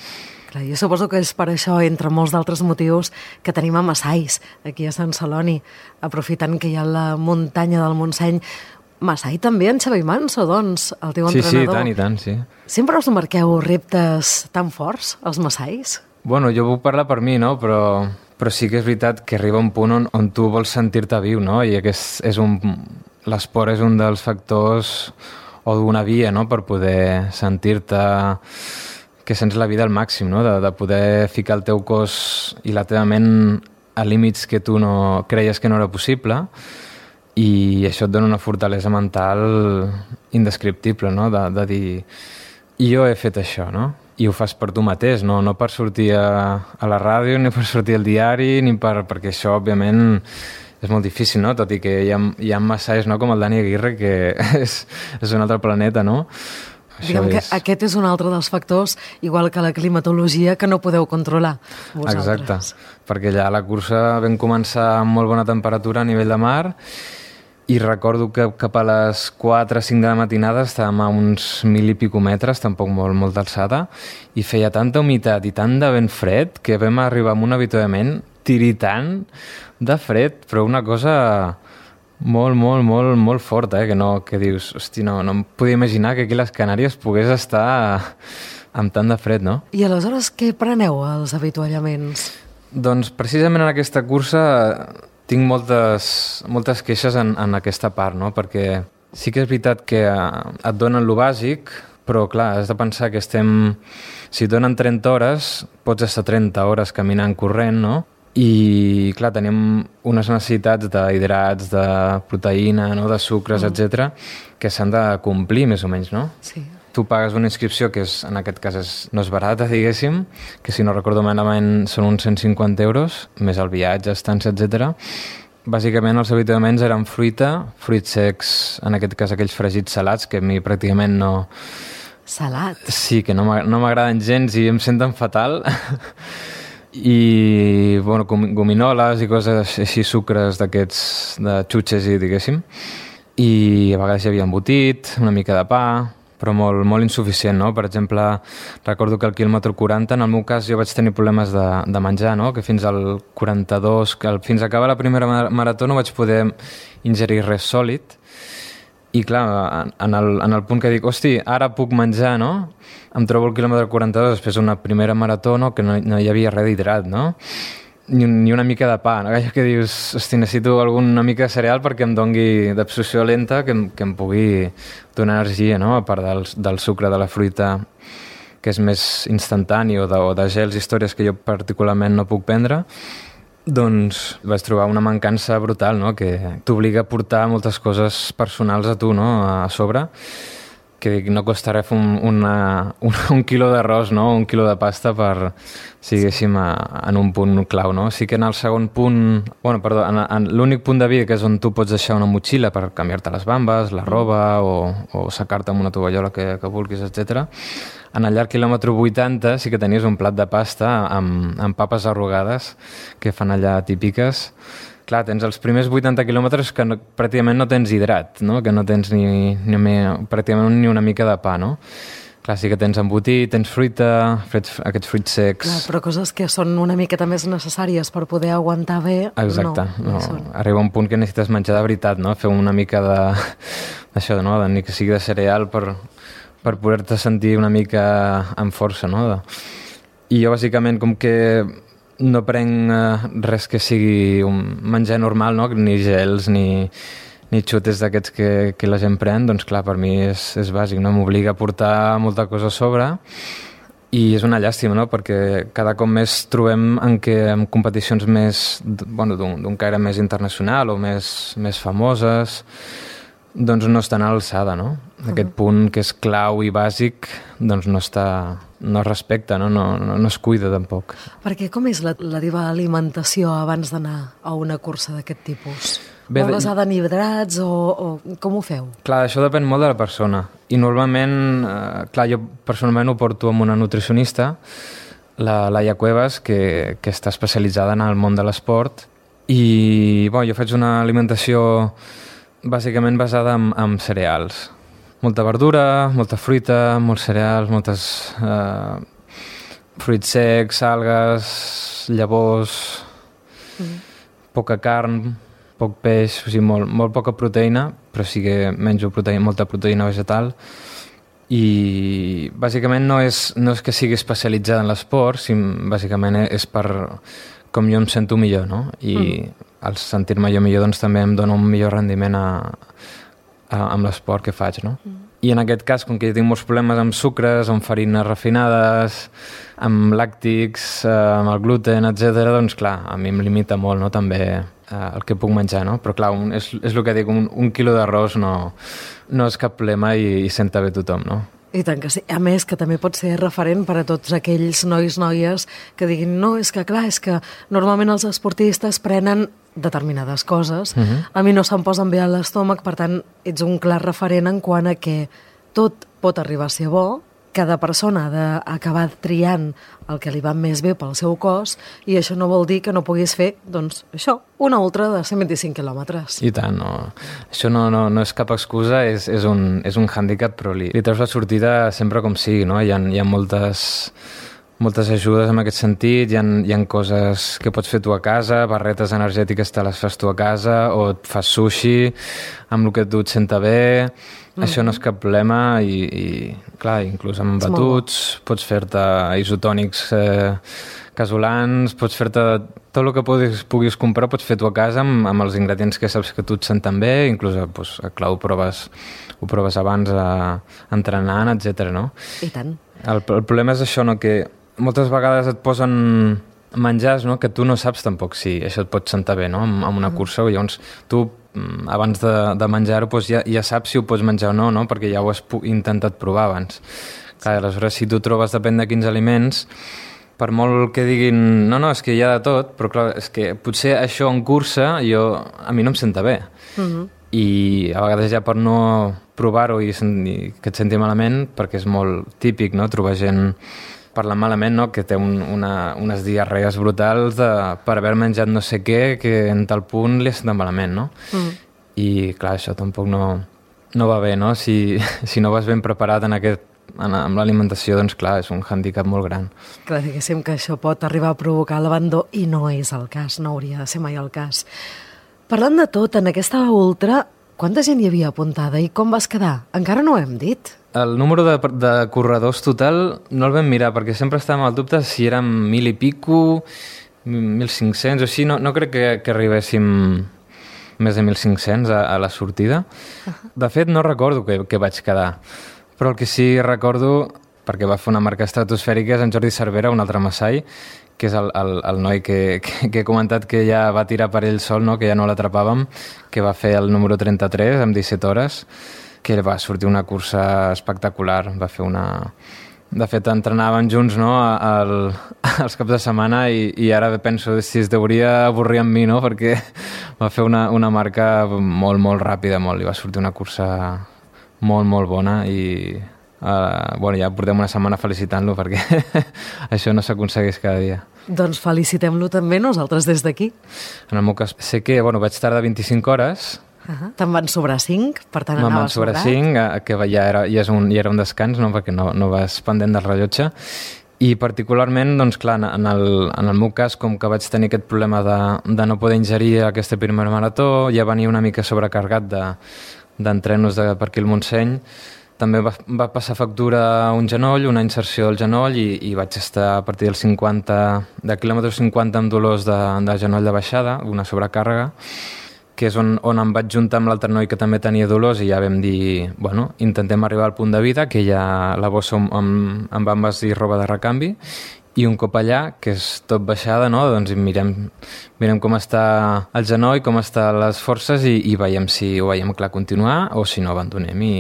Clar, jo suposo que és per això, entre molts d'altres motius, que tenim a Massais, aquí a Sant Celoni, aprofitant que hi ha la muntanya del Montseny. Massai també en Xavi Manso, doncs, el teu sí, entrenador. Sí, sí, tant i tant, sí. Sempre us marqueu reptes tan forts, els Massais? Bueno, jo puc parlar per mi, no?, però, però sí que és veritat que arriba un punt on, on tu vols sentir-te viu, no?, i aquest és un... l'esport és un dels factors o d'una via, no?, per poder sentir-te que sents la vida al màxim, no?, de, de poder ficar el teu cos i la teva ment a límits que tu no creies que no era possible, i això et dona una fortalesa mental indescriptible, no?, de, de dir, jo he fet això, no?, i ho fas per tu mateix, no, no per sortir a, a la ràdio, ni per sortir al diari, ni per, perquè això, òbviament, és molt difícil, no?, tot i que hi ha, hi ha massais, no?, com el Dani Aguirre, que és, és un altre planeta, no? Diguem que aquest és un altre dels factors, igual que la climatologia, que no podeu controlar vosaltres. Exacte, perquè allà a la cursa vam començar amb molt bona temperatura a nivell de mar i recordo que cap a les quatre o cinc de la matinada estàvem a uns mil i pico metres, tampoc molt, molt d'alçada, i feia tanta humitat i tant de vent fred que vam arribar a un avituallament tiritant de fred, però una cosa... molt, molt, molt, molt fort, eh? Que, no, que dius, hosti, no, no em podia imaginar que aquí a les Canàries pogués estar amb tant de fred, no? I aleshores què preneu als avituallaments? Doncs precisament en aquesta cursa tinc moltes, moltes queixes en, en aquesta part, no? Perquè sí que és veritat que et donen lo bàsic, però clar, has de pensar que estem... Si et donen trenta hores, pots estar trenta hores caminant, corrent, no? I, clar, tenim unes necessitats d'hidrats, de proteïna, no?, de sucres, mm. etcètera, que s'han de complir, més o menys, no? Sí. tu pagues una inscripció que és, en aquest cas és, no és barata, diguéssim, que si no recordo malament són uns cent cinquanta euros, més el viatge, estància, etcètera. Bàsicament els habituaments eren fruita, fruits secs, en aquest cas aquells fregits salats, que a mi pràcticament no... Salats? Sí, que no m'agraden gens i em senten fatal. I, bueno, gominoles i coses així, sucres d'aquests, de xutxes, i diguéssim. I a vegades hi havia embotit, una mica de pa, però molt, molt insuficient, no? Per exemple, recordo que al quilòmetre quaranta, en el meu cas, jo vaig tenir problemes de, de menjar, no? Que fins al quaranta-dos, que al, fins a acabar la primera marató no vaig poder ingerir res sòlid. I clar, en el, en el punt que dic, hosti, ara puc menjar, no? Em trobo el quilòmetre quaranta-dos després d'una primera marató, no? Que no, no hi havia res d'hidrat, no? Ni, ni una mica de pa, no? Allò que dius, hosti, necessito alguna mica de cereal perquè em dongui d'absorció lenta, que em, que em pugui donar energia, no? A part del, del sucre de la fruita, que és més instantani, o de, o de gels, històries que jo particularment no puc prendre, doncs vaig trobar una mancança brutal, no? Que t'obliga a portar moltes coses personals a tu, no? A sobre, que dic, no costa res un, una, un, un quilo d'arròs, no? Un quilo de pasta per, siguéssim, a, en un punt clau, no? Sí que en el segon punt, bueno, perdó, en, en l'únic punt de vida, que és on tu pots deixar una motxilla per canviar-te les bambes, la roba, o, o secar-te amb una tovallola que, que vulguis, etcètera. En el llarg quilòmetre vuitanta sí que tenies un plat de pasta amb, amb papes arrugades que fan allà típiques. Clar, tens els primers vuitanta quilòmetres que no, pràcticament no tens hidrat, no? Que no tens ni, ni, pràcticament ni una mica de pa, no? Clar, sí que tens embotit, tens fruita, frits, aquests fruits secs... Clar, però coses que són una miqueta més necessàries per poder aguantar bé, exacte, no. no. Arriba un punt que necessites menjar de veritat, no? Fer una mica de... d'això, no? De, ni que sigui de cereal per, per poder-te sentir una mica amb força, no? De... I jo, bàsicament, com que no prenc eh, res que sigui un menjar normal, no? Ni gels, ni, ni xutes d'aquests que, que la gent pren, doncs clar, per mi és, és bàsic, no? M'obliga a portar molta cosa a sobre i és una llàstima, no? Perquè cada cop més trobem en què en competicions més, bueno, d'un caire més internacional o més, més famoses, doncs no estan a l'alçada, no? Aquest punt que és clau i bàsic, doncs no està, no es respecta, no? No, no, no es cuida tampoc. Perquè com és la, la teva alimentació abans d'anar a una cursa d'aquest tipus? Bé, Molt basada en hidrats o, o com ho feu? Clar, això depèn molt de la persona. I normalment, eh, clar, jo personalment ho porto amb una nutricionista, la Laia Cuevas, que, que està especialitzada en el món de l'esport, i bueno, jo faig una alimentació bàsicament basada en, en cereals. Molta verdura, molta fruita, molts cereals, moltes eh, fruits secs, algues, llavors, mm. poca carn, poc peix, o sigui, molt, molt poca proteïna, però sí que menjo proteïna, molta proteïna vegetal. I bàsicament no és, no és que sigui especialitzada en l'esport, sinó bàsicament és per com jo em sento millor, no? I mm. al sentir-me jo millor doncs també em dona un millor rendiment a, a, amb l'esport que faig, no? Mm. I en aquest cas, com que jo tinc molts problemes amb sucres, amb farines refinades, amb làctics, eh, amb el gluten, etcètera, doncs clar, a mi em limita molt, no?, també eh, el que puc menjar, no? Però clar, un, és, és el que dic, un, un quilo d'arròs no, no és cap problema i, i senta bé tothom, no? I tant que sí. A més, que també pot ser referent per a tots aquells nois, noies que diguin, no, és que clar, és que normalment els esportistes prenen determinades coses. Uh-huh. A mi no se'm posen bé a l'estómac, per tant, ets un clar referent en quant a que tot pot arribar a ser bo, cada persona ha d'acabar triant el que li va més bé pel seu cos i això no vol dir que no puguis fer, doncs, això, una ultra de cent vint-i-cinc quilòmetres. I tant, no. Això no, no, no és cap excusa, és, és, un, és un hàndicap, però li, li treus la sortida sempre com sigui, no? Hi ha, hi ha moltes, moltes ajudes en aquest sentit, hi ha, hi ha coses que pots fer tu a casa, barretes energètiques te les fas tu a casa, o et fas sushi amb el que tu et senta bé. Mm-hmm. Això no és cap problema i, i clar, inclús amb batuts, pots fer-te isotònics eh, casolans, pots fer-te tot el que puguis, puguis comprar, pots fer tu a casa amb, amb els ingredients que saps que tu et senten bé, inclús doncs, clar, ho proves, ho proves abans eh, entrenant, etcètera, no? I tant. El, el problema és això, no?, que moltes vegades et posen menjars, no?, que tu no saps tampoc si això et pot sentar bé, no?, amb, amb una cursa, o llavors tu abans de, de menjar-ho doncs ja, ja saps si ho pots menjar o no, no? Perquè ja ho has intentat provar abans. Clar, aleshores, si tu trobes, depèn de quins aliments, per molt que diguin, no, no, és que hi ha de tot, però clar, és que potser això en cursa jo, a mi no em senta bé. Uh-huh. I a vegades ja per no provar-ho i, i que et senti malament, perquè és molt típic, no?, trobar gent parlant malament, no?, que té un, una, unes diarrees brutals de, per haver menjat no sé què, que en tal punt li ha sentat malament, no? Uh-huh. I clar, això tampoc no, no va bé, no? Si, si no vas ben preparat en aquest amb l'alimentació, doncs clar, és un hàndicap molt gran. Clar, diguéssim que això pot arribar a provocar l'abandó i no és el cas, no hauria de ser mai el cas. Parlant de tot, en aquesta ultra, quanta gent hi havia apuntada i com vas quedar? Encara no ho hem dit. El número de, de corredors total no el vam mirar, perquè sempre estàvem al dubte si érem mil i pico, mil cinc-cents o així, no, no crec que, que arribéssim més de mil cinc-cents a, a la sortida. De fet, no recordo que, que vaig quedar. Però el que sí recordo, perquè va fer una marca estratosfèrica, és en Jordi Cervera, un altre massai, que és el, el, el noi que, que, que he comentat que ja va tirar per ell sol, no? Que ja no l'atrapàvem, que va fer el número trenta-tres amb disset hores, que va sortir una cursa espectacular, va fer una... De fet, entrenàvem junts, no?, al, als caps de setmana i, i ara penso si es deuria avorrir amb mi, no?, perquè va fer una, una marca molt, molt ràpida, molt, i va sortir una cursa molt, molt bona i uh, bueno, ja portem una setmana felicitant-lo perquè això no s'aconsegueix cada dia. Doncs felicitem-lo també nosaltres des d'aquí. En el meu cas sé que bueno, vaig tardar vint-i-cinc hores. Uh-huh. Te'n van sobrar cinc, per tant Me'n anaves van sobrar cinc, que ja era, ja, és un, ja era un descans, no? Perquè no, no vas pendent del rellotge. I particularment, doncs clar, en el, en el meu cas, com que vaig tenir aquest problema de, de no poder ingerir aquesta primera marató, ja venia una mica sobrecarregat de, d'entrenos de, per aquí al Montseny, també va, va passar factura a un genoll, una inserció del genoll, i, i vaig estar a partir del cinquanta, de quilòmetre cinquanta amb dolors de, de genoll de baixada, una sobrecàrrega, que és on, on em vaig juntar amb l'altre noi que també tenia dolors i ja vam dir, bueno, intentem arribar al punt de vida, que ja la bossa em, em va envasir roba de recanvi, i un cop allà, que és tot baixada, no? Doncs mirem, mirem com està el genoll, com estan les forces i, i veiem si ho veiem clar continuar o si no abandonem i,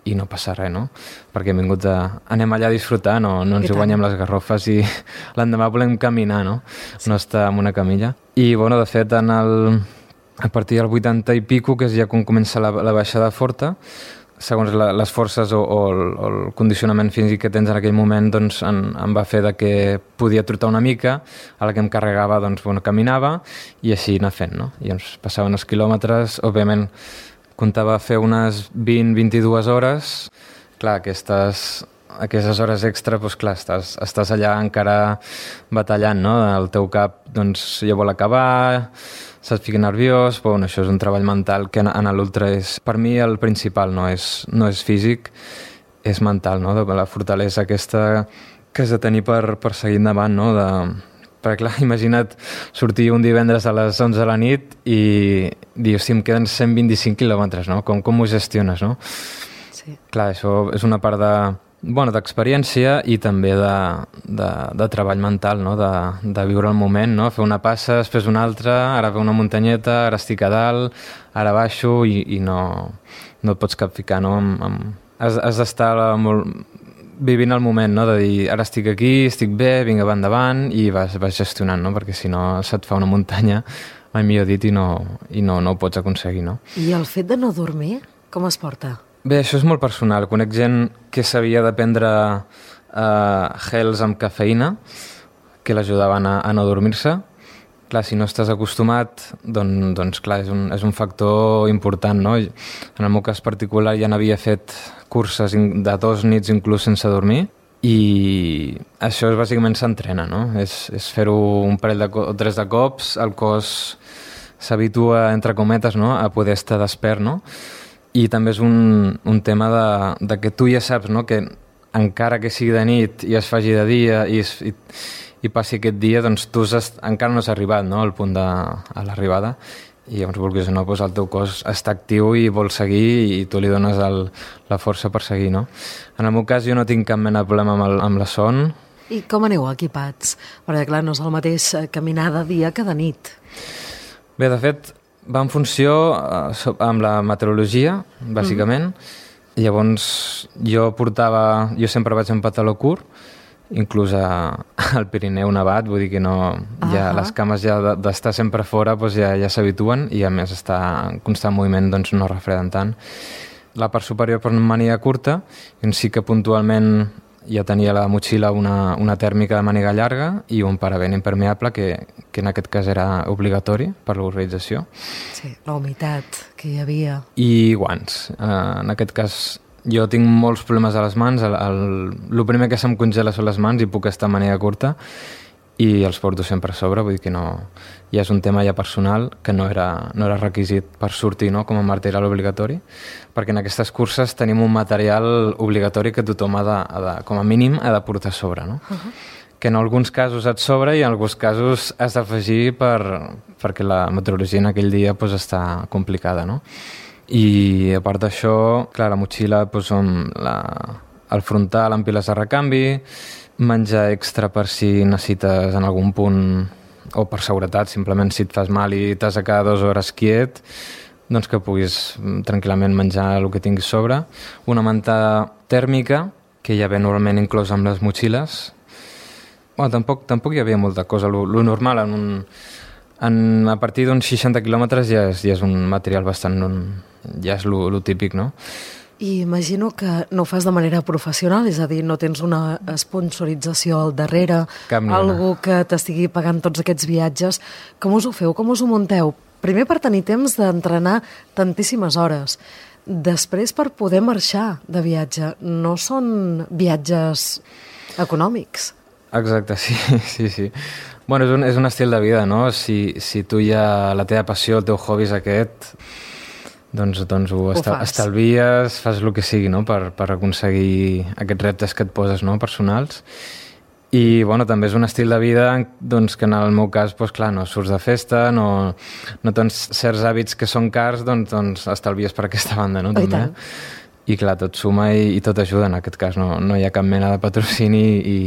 i no passa res, no? Perquè hem vingut a... anem allà a disfrutar, no, no ens hi guanyem les garrofes i l'endemà volem caminar, no? Sí. No estar en una camilla. I, bueno, de fet, en el... a partir del vuitanta i pico, que és ja quan comença la, la baixada forta, segons la, les forces o, o, el, o el condicionament físic que tens en aquell moment, doncs em, em va fer de que podia trotar una mica, a la que em carregava, doncs, bueno, caminava, i així anar fent, no? I ens passaven els quilòmetres, òbviament comptava fer unes vint a vint-i-dues hores, clar, aquestes, aquestes hores extra, doncs clar, estàs, estàs allà encara batallant, no? El teu cap, doncs, ja vol acabar, se't fica nerviós, però bueno, això és un treball mental que en, en l'ultra és, per mi, el principal, no és, no és físic, és mental, no? De la fortalesa aquesta que has de tenir per, per seguir endavant, no? De, perquè, clar, imagina't sortir un divendres a les onze de la nit i dir, hosti, em queden cent vint-i-cinc quilòmetres, no? Com, com ho gestiones, no? Sí. Clar, això és una part de... bueno, d'experiència i també de, de, de treball mental, no? de, de viure el moment, no? Fer una passa, després una altra, ara ve una muntanyeta, ara estic a dalt, ara baixo i, i no, no et pots capficar, no? Amb, amb... Has, has d'estar molt... vivint el moment, no? De dir, ara estic aquí, estic bé, vinga, va endavant, i vas, vas gestionant, no? Perquè si no se't fa una muntanya, mai millor dit, i no, i no, no ho pots aconseguir, no? I el fet de no dormir, com es porta? Bé, això és molt personal. Conec gent que sabia de prendre uh, gels amb cafeïna que l'ajudaven a, a no dormir-se. Clar, si no estàs acostumat, doncs, doncs clar, és un, és un factor important, no? En el meu cas particular ja n'havia fet curses de dos nits inclús sense dormir i això és, bàsicament s'entrena, no? És, és fer-ho un parell de o tres de cops, el cos s'habitua, entre cometes, no? A poder estar despert, no? I també és un, un tema de, de que tu ja saps, no? Que encara que sigui de nit i es faci de dia i, es, i, i passi aquest dia, doncs tu has, encara no has arribat, no? Al punt de a l'arribada, i llavors, vulguis o no, doncs el teu cos està actiu i vol seguir i tu li dones el, la força per seguir, no? En el meu cas jo no tinc cap mena de problema amb, el, amb la son. I com aneu equipats? Perquè clar, no és el mateix caminar de dia que de nit. Bé, de fet, Va en funció eh, amb la meteorologia, bàsicament. Mm. Llavors, jo portava... Jo sempre vaig en pantaló curt, inclús a, al Pirineu nevat, vull dir que no... Ja, les cames ja d'estar sempre fora doncs ja, ja s'habituen i a més estar en constant moviment doncs no refreden tant. La part superior per màniga curta, i sí que puntualment ja tenia a la motxilla una, una tèrmica de màniga llarga i un paravent impermeable que, que en aquest cas era obligatori per l'organització. Sí, la humitat que hi havia. I guants. Uh, en aquest cas jo tinc molts problemes a les mans. El, el, el primer que se'm congela són les mans i puc estar de màniga curta i els porto sempre a sobre, vull dir que no... Ja és un tema ja personal que no era, no era requisit per sortir, no?, com a material obligatori, perquè en aquestes curses tenim un material obligatori que tothom ha de, ha de com a mínim ha de portar a sobre, no? Uh-huh. Que en alguns casos et sobra i en alguns casos has d'afegir per, perquè la meteorologia en aquell dia pues, està complicada, no? I a part d'això, clar, la motxilla pues, som la, el frontal amb piles de recanvi, menjar extra per si necessites en algun punt o per seguretat, simplement si et fas mal i t'has de quedar dues hores quiet, doncs que puguis tranquil·lament menjar el que tinguis sobre. Una manta tèrmica, que ja ve normalment inclòs amb les motxilles. Bueno, tampoc, tampoc hi havia molta cosa. Lo, lo normal, en un, en, a partir d'uns seixanta quilòmetres ja és, ja és un material bastant... Un, ja és lo, lo típic, no? I imagino que no ho fas de manera professional, és a dir, no tens una sponsorització al darrere, algú que t'estigui pagant tots aquests viatges. Com us ho feu? Com us ho munteu? Primer per tenir temps d'entrenar tantíssimes hores, després per poder marxar de viatge. No són viatges econòmics. Exacte, sí, sí, sí. Bueno, és un, és un estil de vida, no? Si, si tu ja la teva passió, el teu hobby és aquest... doncs, doncs ho, ho estal, estalvies, fas el que sigui, no?, per, per aconseguir aquests reptes que et poses, no?, personals. I, bueno, també és un estil de vida doncs, que en el meu cas, doncs, clar, no surts de festa, no, no tens certs hàbits que són cars, doncs, doncs estalvies per aquesta banda, no?, també. I clar, tot suma i, i tot ajuda, en aquest cas no, no hi ha cap mena de patrocini i,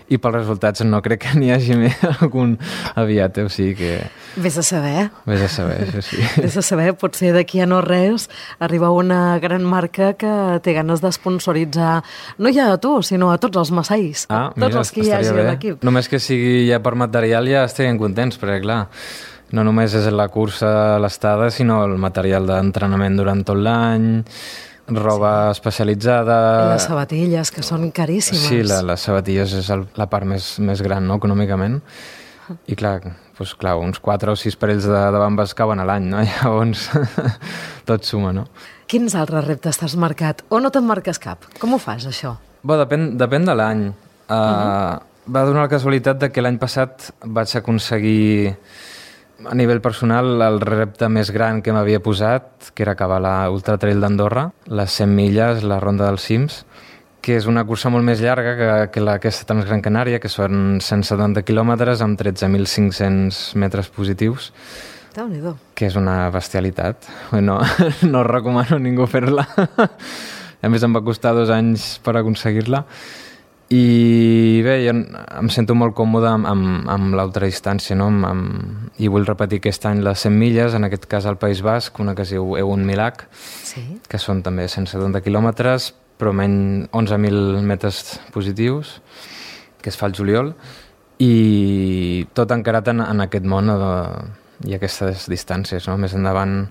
i pels resultats no crec que n'hi hagi més algun aviat, eh? O sigui que... Vés a saber. Vés a saber, això sí. Vés a saber, potser d'aquí a no res arriba una gran marca que té ganes d'esponsoritzar no ja a tu, sinó a tots els massaís, ah, tots mira, els que hi hagi bé. a l'equip. Només que sigui ja per material ja estarien contents, perquè clar, no només és la cursa, l'estada, sinó el material d'entrenament durant tot l'any, roba sí. especialitzada... I les sabatilles, que són caríssimes. Sí, la, les sabatilles és el, la part més, més gran, no?, econòmicament. I clar, doncs, clar, uns quatre o sis parells de, de bambes cauen a l'any, no? Llavors, tot suma, no? Quins altres reptes t'has marcat? O no te'n marques cap? Com ho fas, això? Bé, depèn, depèn de l'any. Uh, uh-huh. Va donar la casualitat de que l'any passat vaig aconseguir... A nivell personal, el repte més gran que m'havia posat, que era acabar la Ultra Trail d'Andorra, les cent milles, la Ronda dels Cims, que és una cursa molt més llarga que, que la aquesta Transgran Canària, que són cent setanta quilòmetres amb tretze mil cinc-cents metres positius, Déu-n'hi-do. Que és una bestialitat. No, no recomano a ningú fer-la. A més, em va costar dos anys per aconseguir-la. I bé, jo em sento molt còmode amb, amb, amb l'ultradistància, no? Amb, amb, i vull repetir aquest any les cent milles, en aquest cas al País Basc, una que es diu Egun Milac, sí. Que són també cent setanta quilòmetres, però menys onze mil metres positius, que es fa al juliol, i tot encarat en, en aquest món de, i aquestes distàncies, no? Més endavant...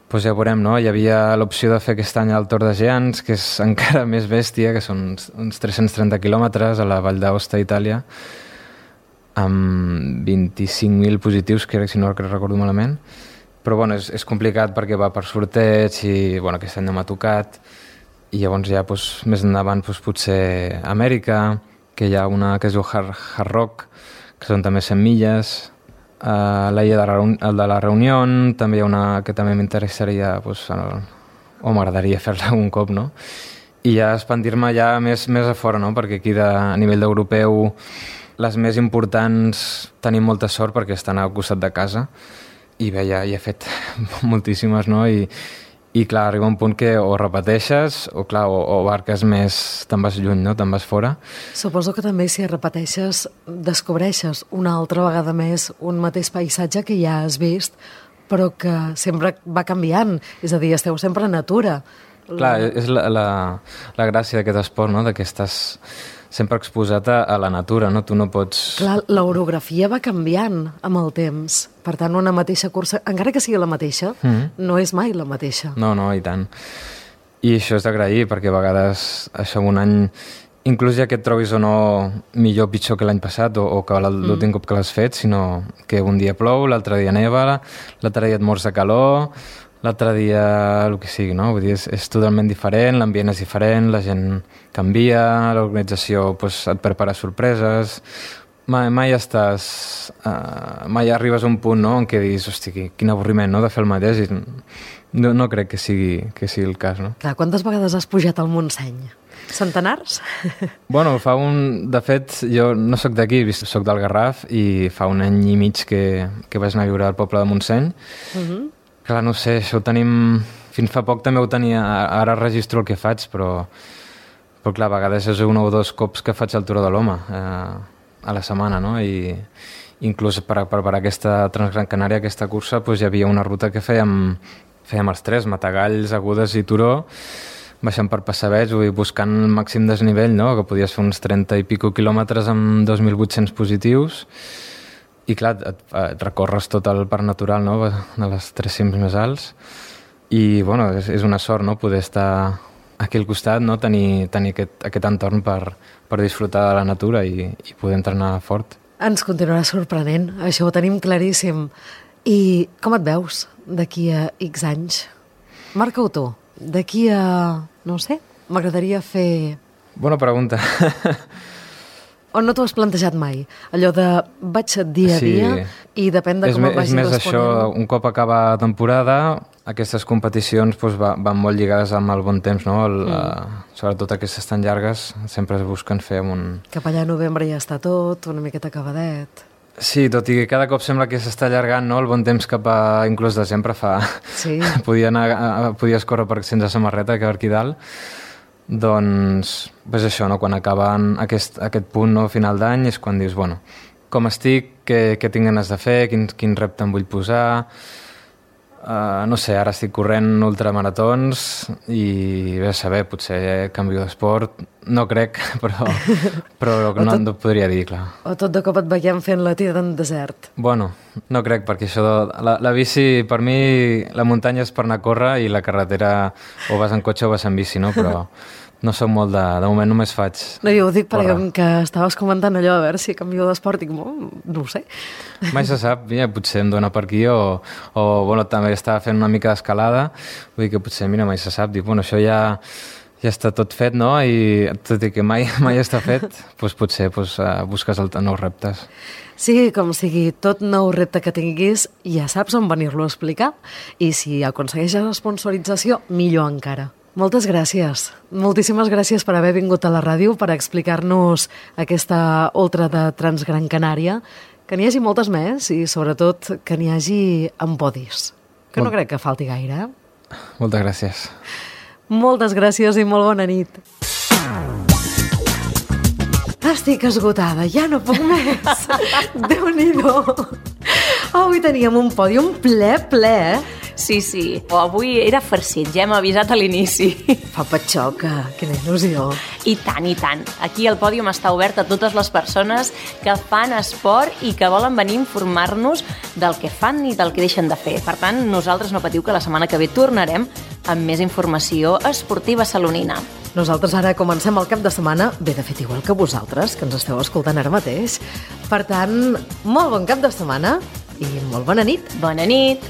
Doncs ja veurem, no? Hi havia l'opció de fer aquest any el Tour de Geants, que és encara més bèstia, que són uns, uns tres-cents trenta quilòmetres a la Vall d'Aosta, Itàlia, amb vint-i-cinc mil positius, que si no recordo malament. Però bueno, és, és complicat perquè va per sorteig i bueno, aquest any no m'ha tocat. I llavors ja doncs, més endavant doncs, potser Amèrica, que hi ha una que es diu Hard, Hard Rock, que són també cent milles... Uh, l'illa de, de la Reunió, també hi ha una que també m'interessaria pues, el, o m'agradaria fer-la un cop, no? I ja expandir-me ja més, més a fora, no? Perquè aquí de, a nivell d'europeu les més importants tenim molta sort perquè estan al costat de casa i bé, ja, ja he fet moltíssimes, no? I, i clar, arriba un punt que o repeteixes o clar, o, o barques més, te'n vas lluny, no? Te'n vas fora. Suposo que també si repeteixes descobreixes una altra vegada més un mateix paisatge que ja has vist però que sempre va canviant. És a dir, esteu sempre a natura. Clar, és la, la, la gràcia d'aquest esport, no? Que estàs sempre exposat a, a la natura, no? Tu no pots... Clar, l'orografia va canviant amb el temps. Per tant, una mateixa cursa, encara que sigui la mateixa, mm-hmm. no és mai la mateixa. No, no, i tant. I això és d'agrair, perquè a vegades això un any... Inclús ja que et trobis o no millor o pitjor que l'any passat o, o que l'últim mm. cop que l'has fet, sinó que un dia plou, l'altre dia neva, l'altre dia et mors de calor, l'altre dia el que sigui, no? Vull dir, és, és totalment diferent, l'ambient és diferent, la gent canvia, l'organització pues, et prepara sorpreses... Mai, mai estàs... Uh, mai arribes a un punt, no?, en què diguis, hosti, quin avorriment, no?, de fer el mateix. I no, no crec que sigui, que sigui el cas, no? Clar, quantes vegades has pujat al Montseny? Centenars? Bueno, fa un... De fet, jo no sóc d'aquí, sóc del Garraf, i fa un any i mig que, que vaig anar a viure al poble de Montseny. Uh-huh. Clar, no sé, això ho tenim... Fins fa poc també ho tenia... Ara registro el que faig, però... Però clar, a vegades és un o dos cops que faig el Turó de l'Home, eh, a la setmana, no? I inclús per preparar aquesta Transgran Canària, aquesta cursa, doncs hi havia una ruta que fèiem, fèiem els tres, Matagalls, Agudes i Turó, baixant per Passaveig, buscant el màxim desnivell, no? Que podies fer uns trenta i pico quilòmetres amb dos mil vuit-cents positius, i clar, et, et recorres tot el parc natural, no? De les tres cims més alts, i bueno, és, és una sort, no? Poder estar aquí al costat, no? Tenir, tenir aquest, aquest entorn per, per disfrutar de la natura i, i poder entrenar fort. Ens continuarà sorprenent, això ho tenim claríssim. I com et veus d'aquí a X anys? Marca-ho tu. D'aquí a... no sé, m'agradaria fer... Bona pregunta. O no t'ho has plantejat mai? Allò de vaig dia a dia sí. I depèn de com me, em vagi responent. És més responent. això, un cop acaba la temporada, aquestes competicions doncs, va, van molt lligades amb el bon temps, no? El, mm. la, sobretot aquestes tan llargues, sempre es busquen fer amb un... Cap allà a novembre ja està tot, una miqueta acabadet. Sí, tot i que cada cop sembla que s'està allargant, no? El bon temps cap a inclús desembre fa... Sí. Podia anar, podies córrer per sense samarreta, que per aquí dalt. Doncs, pues això, no? Quan acaben aquest, aquest punt, no? Final d'any, és quan dius, bueno, com estic, què, què tinc ganes de fer, quin, quin repte em vull posar... Uh, no sé, ara estic corrent ultramaratons i bé, a saber, potser canvio d'esport, no crec, però, però no, tot, no podria dir, clar. O tot de cop et veiem fent la tira en desert. Bueno, no crec, perquè això de, la, la bici, per mi, la muntanya és per anar a córrer i la carretera o vas en cotxe o vas en bici, no? Però no soc molt de... De moment només faig... No, jo ho dic perquè com que estaves comentant allò a veure si canvio d'esport, dic, no, no ho sé. Mai se sap, ja, potser em dona per aquí o, o bueno, també estava fent una mica d'escalada, vull dir que potser, mira, mai se sap, dic, bueno, això ja, ja està tot fet, no? I tot i que mai, mai està fet, doncs potser doncs, busques el, nous reptes. Sí, com sigui, tot nou repte que tinguis, ja saps on venir-lo a explicar, i si aconsegueixes la sponsorització, millor encara. Moltes gràcies. Moltíssimes gràcies per haver vingut a la ràdio per explicar-nos aquesta ultra de Transgran Canària, que n'hi hagi moltes més i sobretot que n'hi hagi amb podis, que no crec que falti gaire. Eh? Moltes gràcies. Moltes gràcies i molt bona nit. Estic esgotada, ja no puc més. Déu-n'hi-do. Avui teníem un pòdium ple, ple, eh? Sí, sí. O avui era farcit, ja hem avisat a l'inici. Fa patxoca, quina il·lusió. I tant, i tant. Aquí el pòdium està obert a totes les persones que fan esport i que volen venir a informar-nos del que fan i del que deixen de fer. Per tant, nosaltres no patiu que la setmana que ve tornarem amb més informació esportiva salonina. Nosaltres ara comencem el cap de setmana, bé, de fet, igual que vosaltres, que ens esteu escoltant ara mateix. Per tant, molt bon cap de setmana i molt bona nit. Bona nit.